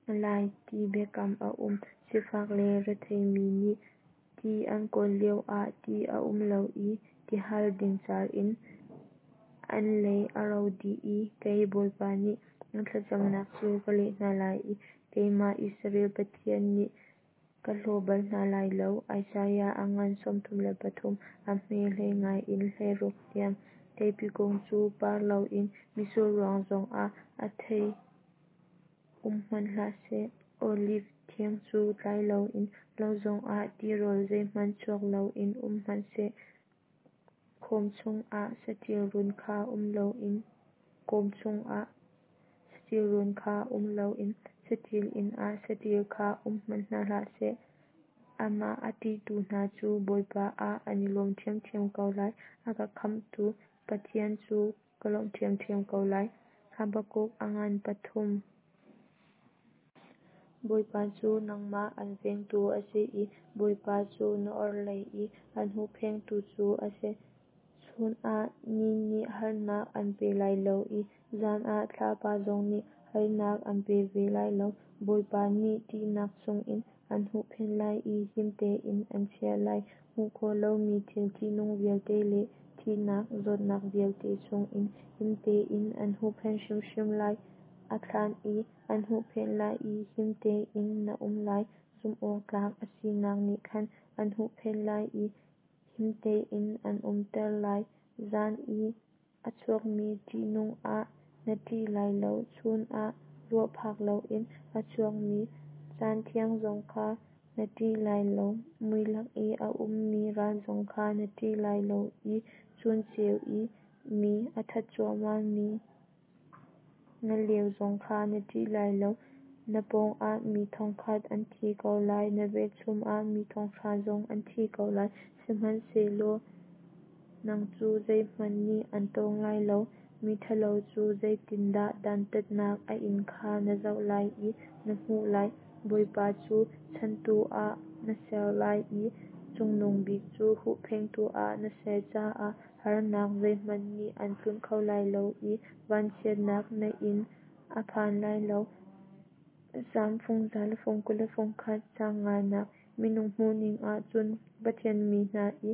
[SPEAKER 1] lai ti biakam a um. Sifak le retheimi nih ti an kawl lioah ti a um lo i tihal dingcar in an lei a ro dih i kei Bawipa nih an thlacamnak cu ka leh hna lai i keimah Israel Pathian nih ka hlaw bal hna lai lo. Isaiah a ngan sawmthum le pathum a hme hleinga in hleiruk tiang. Theipi kung cu par loin mitsur ruang zongah a thei um hmanh hlah seh, Oliv thing cu tlai loin lo zongah tirawl zeihmanh chuak loin um hmanh seh, Kawm chungah saṭil run kha um loin kawm chungah saṭil run kha um loin saṭil inn ah saṭil kha um hmanh hna hlah seh, amah a ṭihtu hna cu Bawipa ah an i lawm ṭhiamṭhiam ko lai. A ka khamhtu Pathian cu ka lawmh ṭhiamṭhiam ko lai. Habakkuk a ngan pathum. Bawipa cu nangmah an vengtu a si i Bawipa cu na orhlei i an huhphengtu cu a si. Chun ah ni nih harnak an pe lai lo i zan ah thlapa zong nih harnak an pe ve lai lo. Bawipa nih ṭihnak chungin an huhphenh lai i him tein an chiah lai. Hmuh khawh lomi thil ṭihnung vialte le thihnak zawtnak vialte chungin him tein an huhphenh hrimhrim lai. A thlan in an huhphenh lai i him tein na um lai. Zumhawktlak a sinak nih khan an huhphenh lai i him tein an umter lai. Zan i a chuakmi ṭihnung ah na ṭih lai lo, chun ah ruah phak loin a chuakmi cantiang zong kha na ṭih lai lo. Mui lak i a ummi ral zong kha na ṭih lai lo i chun ceu i mi a that cuahmahmi ngaleu zong kha na ṭih lai lo. Na pawngah mi thongkhat an thi ko lai, na velchum ah mi thonghra zong an thi ko lai, sihmanhsehlaw nang cu zeihmanh nih an tawng lai lo. Miṭhalo cu zeitindah dantatnak a in kha na zoh lai i na hmuh lai. Bawipa cu chanhtu ah na ser lai i Cungnung Bik cu huhphengtu ah na ser caah harnak zeihmanh nih an tlunh kho lai lo i vanchiatnak na inn a phan lai lo. Salm fung za le fung kul le fung khat, caang nganak. Minung hmuhning ahcun Pathian mi hna i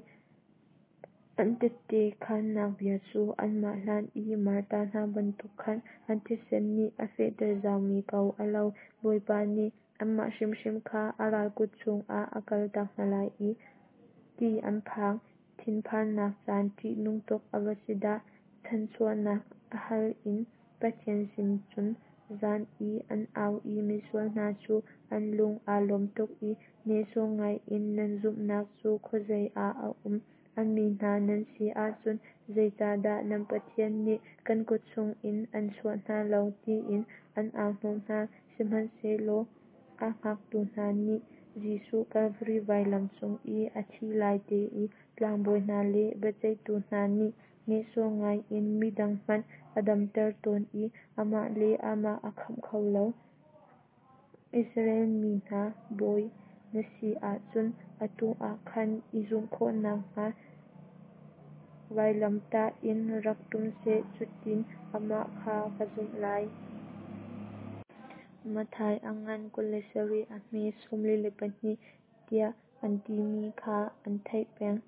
[SPEAKER 1] an tehte khaannak bia cu anmah hlan i martar hna bantuk khan an thisen nih a fehter zaumi ko a lo. Bawipa nih anmah hrimhrim kha a ral kut chungah a kaltak hna lai ti an phang. Thinphannak caan ṭihnung tuk a va si dah! Chanhchuahnak hal in Pathian sin chun zan i an au i misual hna cu an lung aa lawm tuk i nehsawh ngai in nan zumhnak cu khuazei ah a um? A mi hna nan si ahcun zeicahdah nan Pathian nih kan kut chungin an chuah hna lo tiin an au hnawh hna. Sihmanhsehlaw a hngaktu hna nih Jesuh Kalvari vailam cung i a thih lai te i tlangbawi hna le biaceihtu hna nih nehsawh ngai in midang hmanh a damter tawn i amah le amah aa khamh kho lo. Israel mi hna Bawi na si ahcun atu ah khan i zumh khawh nakhnga vailamtah in rak ṭum seh, cutin amah kha kan zumh lai. Matthai a ngan kul le sarih a hme sawmli le pahnih tiah an timi kha an theih peng.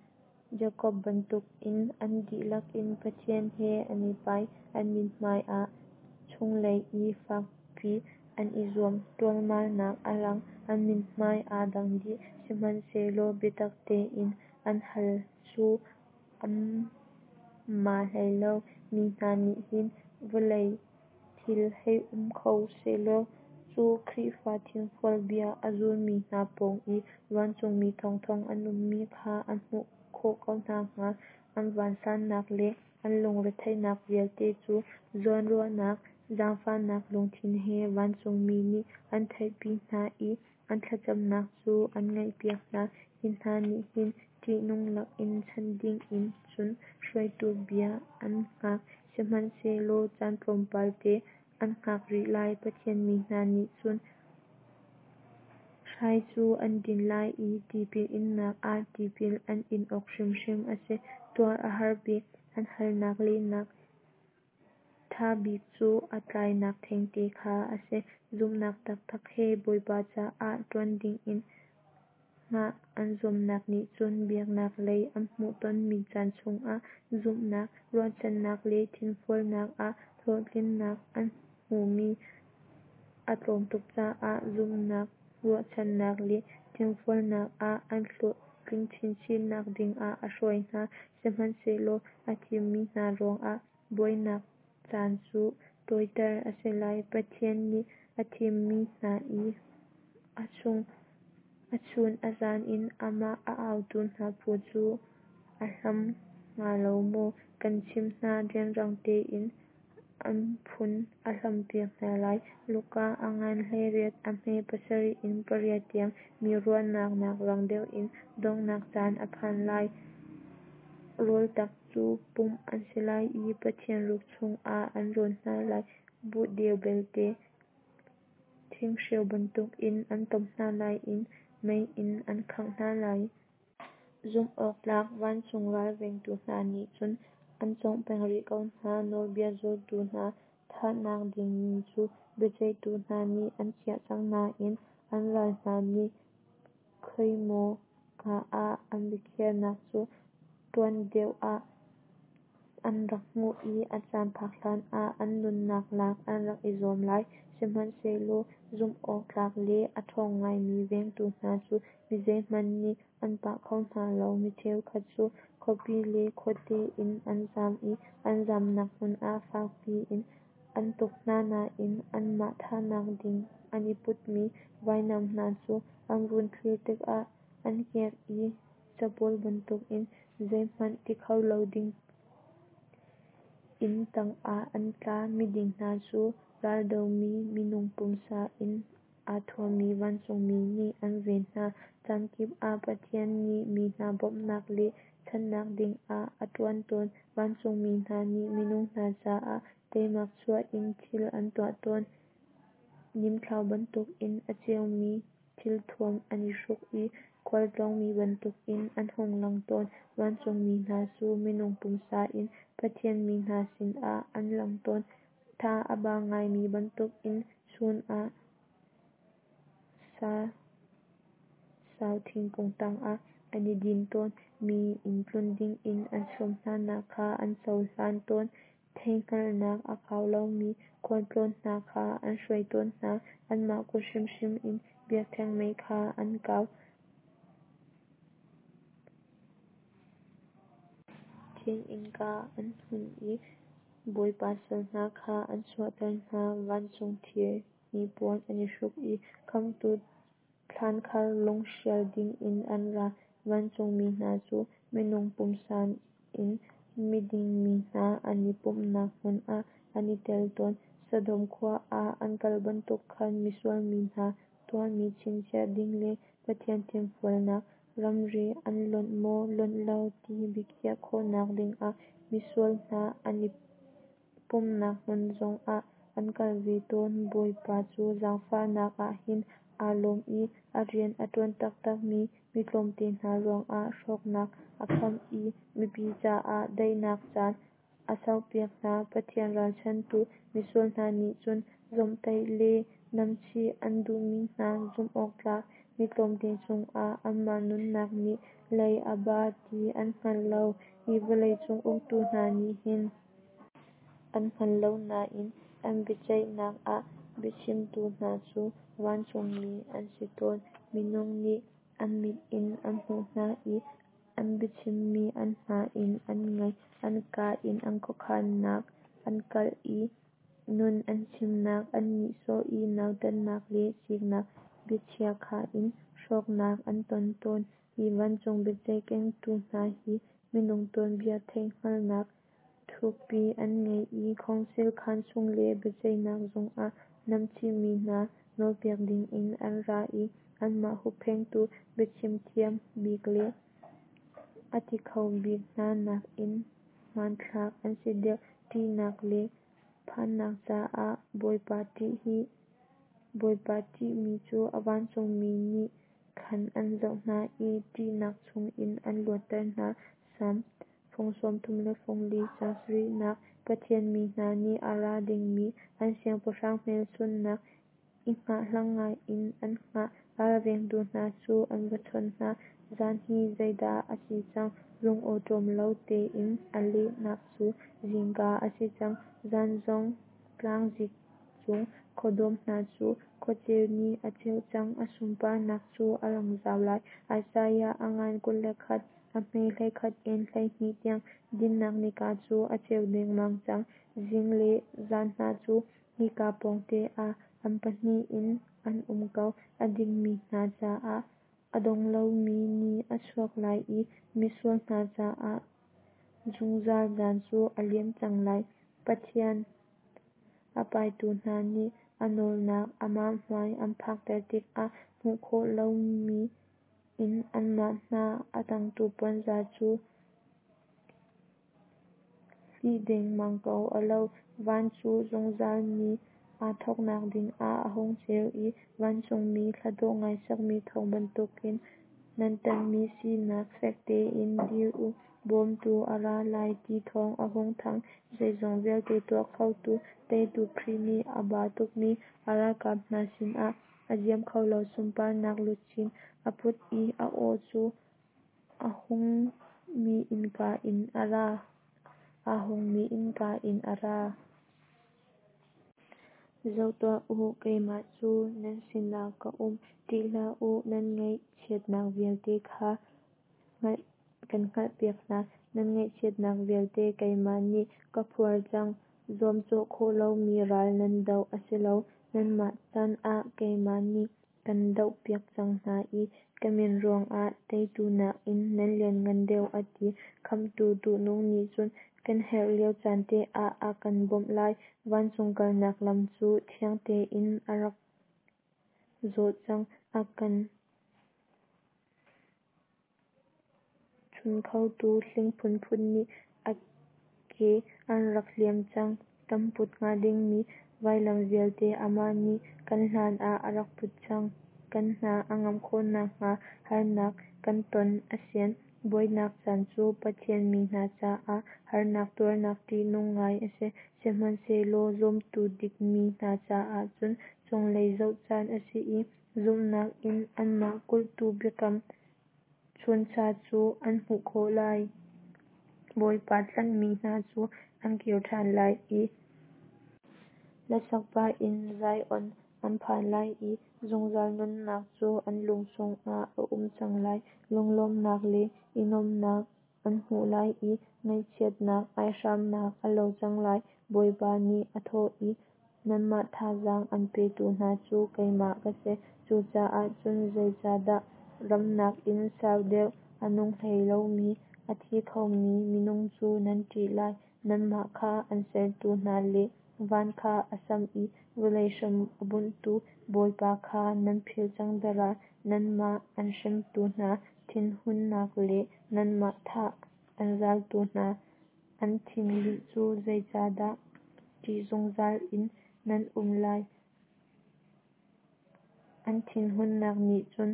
[SPEAKER 1] Jakob bantukin an dihlak in Pathian he an i pai. An mithmai ah chunglei i fakpi an i zuam ṭualmalnak a lang. An mithmai aa dang dih, sihmanhsehlaw biatak tein an hal cu an ma hlei lo. Mi hna nih hin vawlei thil hei um kho sehlaw cu Khrihfa thinfual bia a zulmi hna pawng i vancungmi thongthong an ummi kha an hmuh khawh ko hna hnga. An vansannak le an lungretheihnak vialte cu zawnruahnak, zaangfahnak lungthin he vancungmi nih an theihpi hna i an thlacamnak cu an ngaihpiak hna. Hi hna nih hin ṭihnung lakin chanh dingin cun hruaitu bia an hngak, sihmanhsehlaw caan tlawmpal te an hngak rih lai. Pathian mi hna nih cun hrai cu an din lai i tipil innak ah tipil an in awk hrimhrim a si. Tuar a har bik, an halnak lehnak ṭha bik cu a tlainak thengte kha a si. Zumhnak taktak he Bawipa caah ṭuan dingin hngah an zuamnak nih cun biaknak lei an hmuhtonmi caan chungah zumhnak, ruahchannak le thinfualnak ah hlawhtlinnak an hmuhmi a tlawm tuk caah zumhnak, ruahchannak le thinfualnak ah an hlawhtlin chinchin nak dingah a hruai hna. Sihmanhsehlaw a thimmi hna ruangah buainak caan cu tawiter a si lai. Pathian nih a thimmi hna i a chun a zan in amah a autu hna phu cu a hlam hnga lo maw? Kan chimh hna, rianrang tein an phun a hlampiak hna lai. Luka a ngan hleiriat a hme pasarih in pariat tiang. Mi ruahnak nak rang deuh in donghnak caan a phan lai. Rawltak cu pumh an si lai i Pathian ruk chungah an rawn hna lai. Buh deu belte thinghreu bantukin an tom hna lai i mei in an khangh hna lai. Zumhawktlak vancung ralvengtu hna nih cun an cawngh peng rih ko hna. Nawlbia zultu hna thahnak ding ni cu biaceihtu hna nih an khiah cang nain an ral hna nih khoimaw ka ah an biakhiahnak cu tuan deuh ah an rak hmuh i a caan phak hlanah an nunnak lak an rak i zuam lai. Sihmanhsehlaw zumhawktlak le a ṭhawng ngaimi vengtu hna cu mi zeihmanh nih an pah kho hna lo. Mi cheukhat cu khuapi le khuate in an zam i an zamnak hmun ah fakpi in an tuk hna nain anmah thahnak ding an i putmi vainam hna cu an vun thlir tikah an kiak i capawl bantukin zeihmanh ti kho lo ding inn tangah an tla. Miding hna cu raldomi minung pumsa in aa thuammi vancungmi nih an ven hna. Caan kip ah Pathian nih mi hna bawmhnak le chanhnak dingah a ṭuan tawn. Vancungmi hna nih minung hna caah teimak chuah in thil an tuah tawn. Nimthlau bantukin a ceumi thilthuam an i hruk i khualtlawngmi bantukin an hung lang tawn. Vancungmi hna cu minung pumsa in Pathian mi hna sinah an lang tawn. Tha a ba ngaimi bantukin chun ah Sau thingkung tangah an i din tawn, mi inn tlun dingin an sawm hnanak kha an cohlan tawn, theihhngalhnak a kau lomi khualtlawn hna kha an hruai tawn hna, anmah kut hrimhrim in biakṭheng mei kha an kau. Thing innka an hun i Bawipa sal hna kha an chuahter hna, vancung thir hnipuan an i hruk i Khamhtu thlankhar lung sial dingin an ra. Vancungmi hna cu minung pumsa in miding mi hna an i pumhnak hmun ah an i tel tawn. Sodom khua ah an kal bantuk khan misual mi hna tuahmi chinchiah ding le Pathian fimfualnak ramri an lonh maw lonh lo ti biakhiah khawhnak dingah misual hna an i pumhnak hmun zongah an kal ve tawn. Bawipa cu zaangfahnak ah hin aa lawm i a rian a ṭuan taktak mi mi tlawmte hna ruangah hrawknak a kham i mipi caah daihnak caan a sauhpiak hna. Pathian ralchanhtu misual hna nih cun zawmhtaih le namchih an duhmi hna zumh-awktlak mi tlawmte cungah anmah nunnak nih lei a ba ti an hngal lo. Hi vawleicung uktu hna nih hin an hngal lo nain an biaceihnak ah biachimtu hna cu vancungmi an si tawn. Minung nih an mit in an hmuh hna i an biachimmi an hna in an ngaih, an kaa in an khuakhannak an kalh i nun an chimnak an nihsawh i nautatnak le siknak biachiakha in hrawknak an ton tawn. Hi vancung biaceih kengtu hna hi minung tuanbia theihhngalhnak thukpi an ngei i khawngsil khaan chung le biaceihnak zung ah namchihmi hna nawlpiak dingin an ra i anmah hupphengtu biachim thiam bik le a ti kho bik hna nakin hmanthlak an si deuh. Ṭihnak le phannak caah Bawipa ṭih hi Bawipa ṭihmi cu a vancungmi nih khan an zoh hna i ṭihnak chungin an luatter hna. Salm fung sawmthum le fung li caang sarihnak Pathian mi hna nih a ra dingmi an Siangpahrang hmelchunhnak i hngahhlang ngai in an hngah. Ralvengtu hna cu an va chawn hna. Zan hi zeidah a si cang? Lungawṭawm lo tein a lehnak cu zingka a si cang. Zan zong tlangzik cung khuadawm hna cu khuaceu nih a ceuh cang, a sunparnak cu a lang zau lai. Isaiah a ngan kul le khat, a hme hleikhat in hleihnih tiang. Dinnak nika cu a ceu dengmang cang, zing le zan hna cu hika pawngte ah an pahnih in an um ko. A dingmi hna caah a dong lomi ni a chuak lai i misual hna caah zungzal zan cu a liam cang lai. Pathian a paitu hna nih a nawlnak amah hmai an phakter tikah hmuh khawh lomi in anmah hna a dangtu puanzar cu hlih dengmang ko a lo. Van cu zungzal ni aa thawknak dingah a hung ceu i vancungmi hladawh ngai sakmi thawng bantukin nan ṭanhmi sinak fek tein dir u, bawmtu a ra lai ti thawng a hung thang. Zeizong vialte tuah khotu teitu Khrih nih a ba tukmi a ralkap hna sinah a ziam kho lo sunparnak luchin a put i a aw cu aa hungmi innka in a ra. Aa hungmi innka in a ra. Zoh tuah u, keimah cu nan sinah ka um, ṭih hlah u. Nan ngaihchiatnak vialte kha kan hngalhpiak hna. Nan ngaihchiatnak vialte keimah nih ka phuar cang. Zuamcawh khawh lomi ral nan doh a si lo. Nanmah can ah keimah nih kan dohpiak cang hna i ka min ruangah teitu nakin nan lianngan deuh a ti. Khamhtu duhnung nih cun kan herh lio caan te ah a kan bawmh lai. Vancung kalnak lam cu thiang tein a rak zawh cang. A kan chun khotu hling phunphun nih a ke an rak hliam cang. Kan put hnga dingmi vailam vialte amah nih kan hlan ah a rak put cang. Kan hna a ngam khawhnak hnga harnak kan ton a sian. Buainak caan cu Pathian mi hna caah harnak tuarnak ṭihnung ngai a si. Sihmanhsehlaw zumtu dikmi hna caah cun cunglei zoh caan a si i Zumhnak in anmah kulhtu biakam chuncha cu an hmuh khawh lai. Bawipa tlanhmi hna cu an kir ṭhan lai i Hlasak pah in Zion an phan lai i zungzal nunnak cu an lung chungah a um cang lai. Lunglawmhnak le i nuamhnak an hmuh lai i ngaihchiatnak aihramnak a lo cang lai. Bawipa nih aa thawh i, Nanmah thazang an petu hna cu keimah ka si. Cucaah cun zeicahdah ram nakin sau deuh a nung hlei lomi, a thi khomi minung cu nan ṭih lai? Nanmah kha an sertu hna le van kha a samh i vawlei hram a bunhtu Bawipa kha nan philh cang dahra? Nanmah an hremtu hna thinhunnak le nanmah thah an zaltu hna an thinlinh cu zeicahdah ṭih zungzal in nan um lai? An thinhunnak nih cun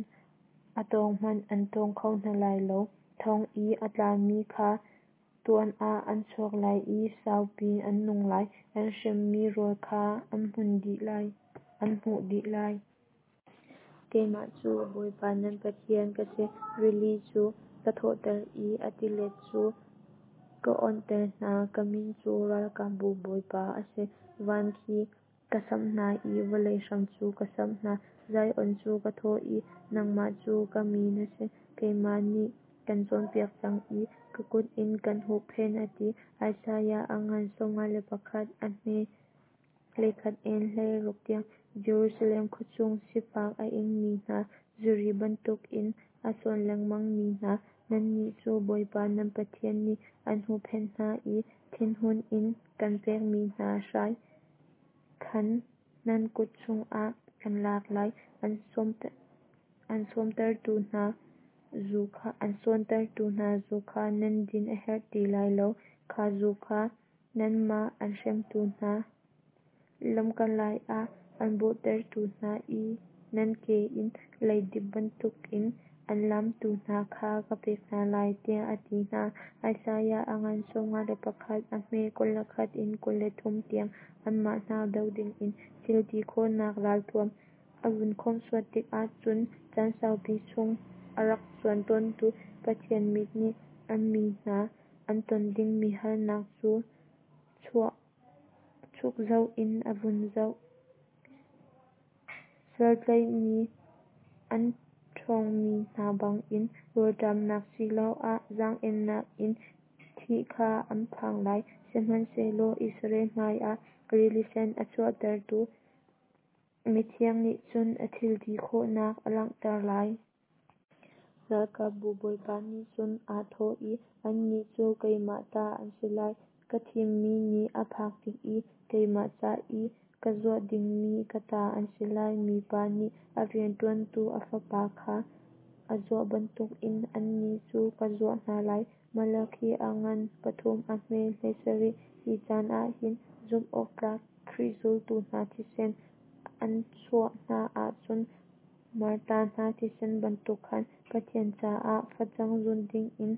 [SPEAKER 1] a tawng hmanh an tawng kho hna lai lo. Thong i a tlami kha tuan ah an chuak lai i saupi an nung lai. An hremmi rawl kha an hmuh dih lai. Keimah cu Bawipa nan Pathian ka si, rili cu ka thawhter i a tilet cu ka awnhter hna. Ka min cu Ralkapbu Bawipa a si. Van khi ka samh hna i vawlei hram cu ka samh hna. Zion cu ka thawh i, Nangmah cu ka mi na si. Keimah nih kan cawnpiak cang i ka kut in kan huhphenh, a ti. Isaiah a ngan sawmnga le pakhat a hme hleikhat in hleiruk tiang. Jerusalem khuachung sifak a ingmi hna, zuri bantukin a sawn lengmangmi hna, nannih cu Bawipa nan Pathian nih an huhphenh hna i thinhun in kan pekmi hna hrai khan nan kut chungah kan lak lai. An sawntertu hna zu kha nan din a herh ti lai lo; kha zu kha nanmah an hremtu hna, lamkalai ah an bawhtertu hna i nan ke in leidip bantukin an lamtu hna kha ka pek hna lai, tiah a ti hna. Isaiah a ngan sawmnga le pakhat a hme kul le khat in kul le thum tiang. Anmah hna doh dingin thil ti khawhnak ralthuam a vun khawmhsuat tikah cun caan saupi chung a rak cuan tawntu Pathian mit nih an mi hna an ton dingmi harnak cu chuk zoh in a vun zoh. Saltlaihmi an ṭhawngmi hna bangin rawlṭamnak asiloah zaang-ennak in thih kha an phang lai. Sihmanhsehlaw Israel hmaiah Rili Sen a chuahtertu Mithiang nih cun a thil ti khawhnak a langhter lai. Ralkapbu Bawipa nih cun aa thawh i, Annih cu keimah ta an si lai, ka thimmi ni a phak tik i keimah ca i ka zuah dingmi ka ta an si lai. Mipa nih a rianṭuantu a fapa kha a zuah bantukin annih cu ka zuah hna lai. Malakhi a ngan pathum a hme hleisarih. Hi caan ahhin zumhawktlak Khrih zultu hna thisen an chuah hna ahcun martar hna thisen bantuk khan Pathian caah facang zun dingin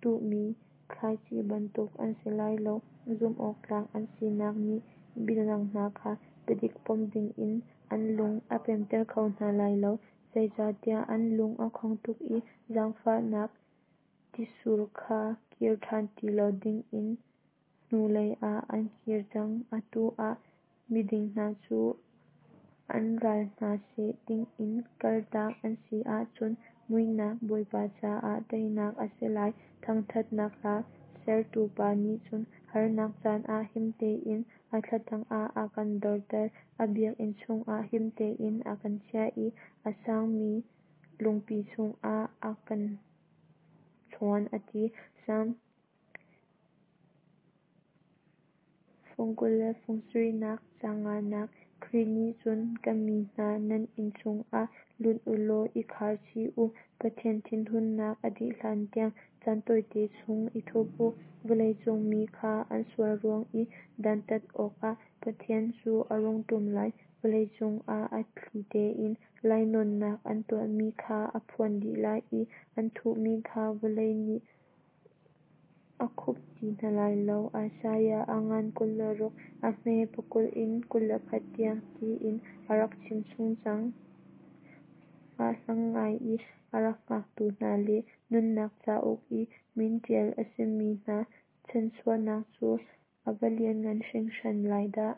[SPEAKER 1] tuhmi thlaici bantuk an si lai lo. Zumhawktlak an sinak nih midang hna kha biadik pom dingin an lung a pemter kho hna lai lo. Zeicahtiah an lung a khong tuk i zaangfahnak tisur kha kir ṭhan ti lo dingin hnulei ah an kir cang. Atu ah miding hna cu an ral hna seh dingin kaltak an si ahcun muihnak Bawipa caah teinak a si lai. Thangṭhatnak hla sertu pa nih cun harnak caan ah him tein a thla tangah a kan dorter, a biakinn chungah him tein a kan chiah i a sangmi lungpi cungah a kan chuan a ti. Salm fung kul le fung sarihnak caang nganak. Khrih nih cun ka mi hna nan inn chungah lut u law i khar chih u. Pathian thinhunnak a dih hlantiang caan tawite chung i thup u. Vawleicung mi kha an sual ruang i dantat awkah Pathian cu a rung ṭum lai. Vawleicung ah a thli tein lainawnnak an tuahmi kha a phuan dih lai i an thuhmi kha vawlei nih a khup ti hna lai lo. Isaiah a ngan kul le ruk a hme pakul in kul le khat tiang tiin a rak chimchung cang. Hngahhlang ngai i a rak hngaktu hna le nunnak cauk i min ṭial a simi hna chanhchuahnak cu a va lianngan hringhran lai dah!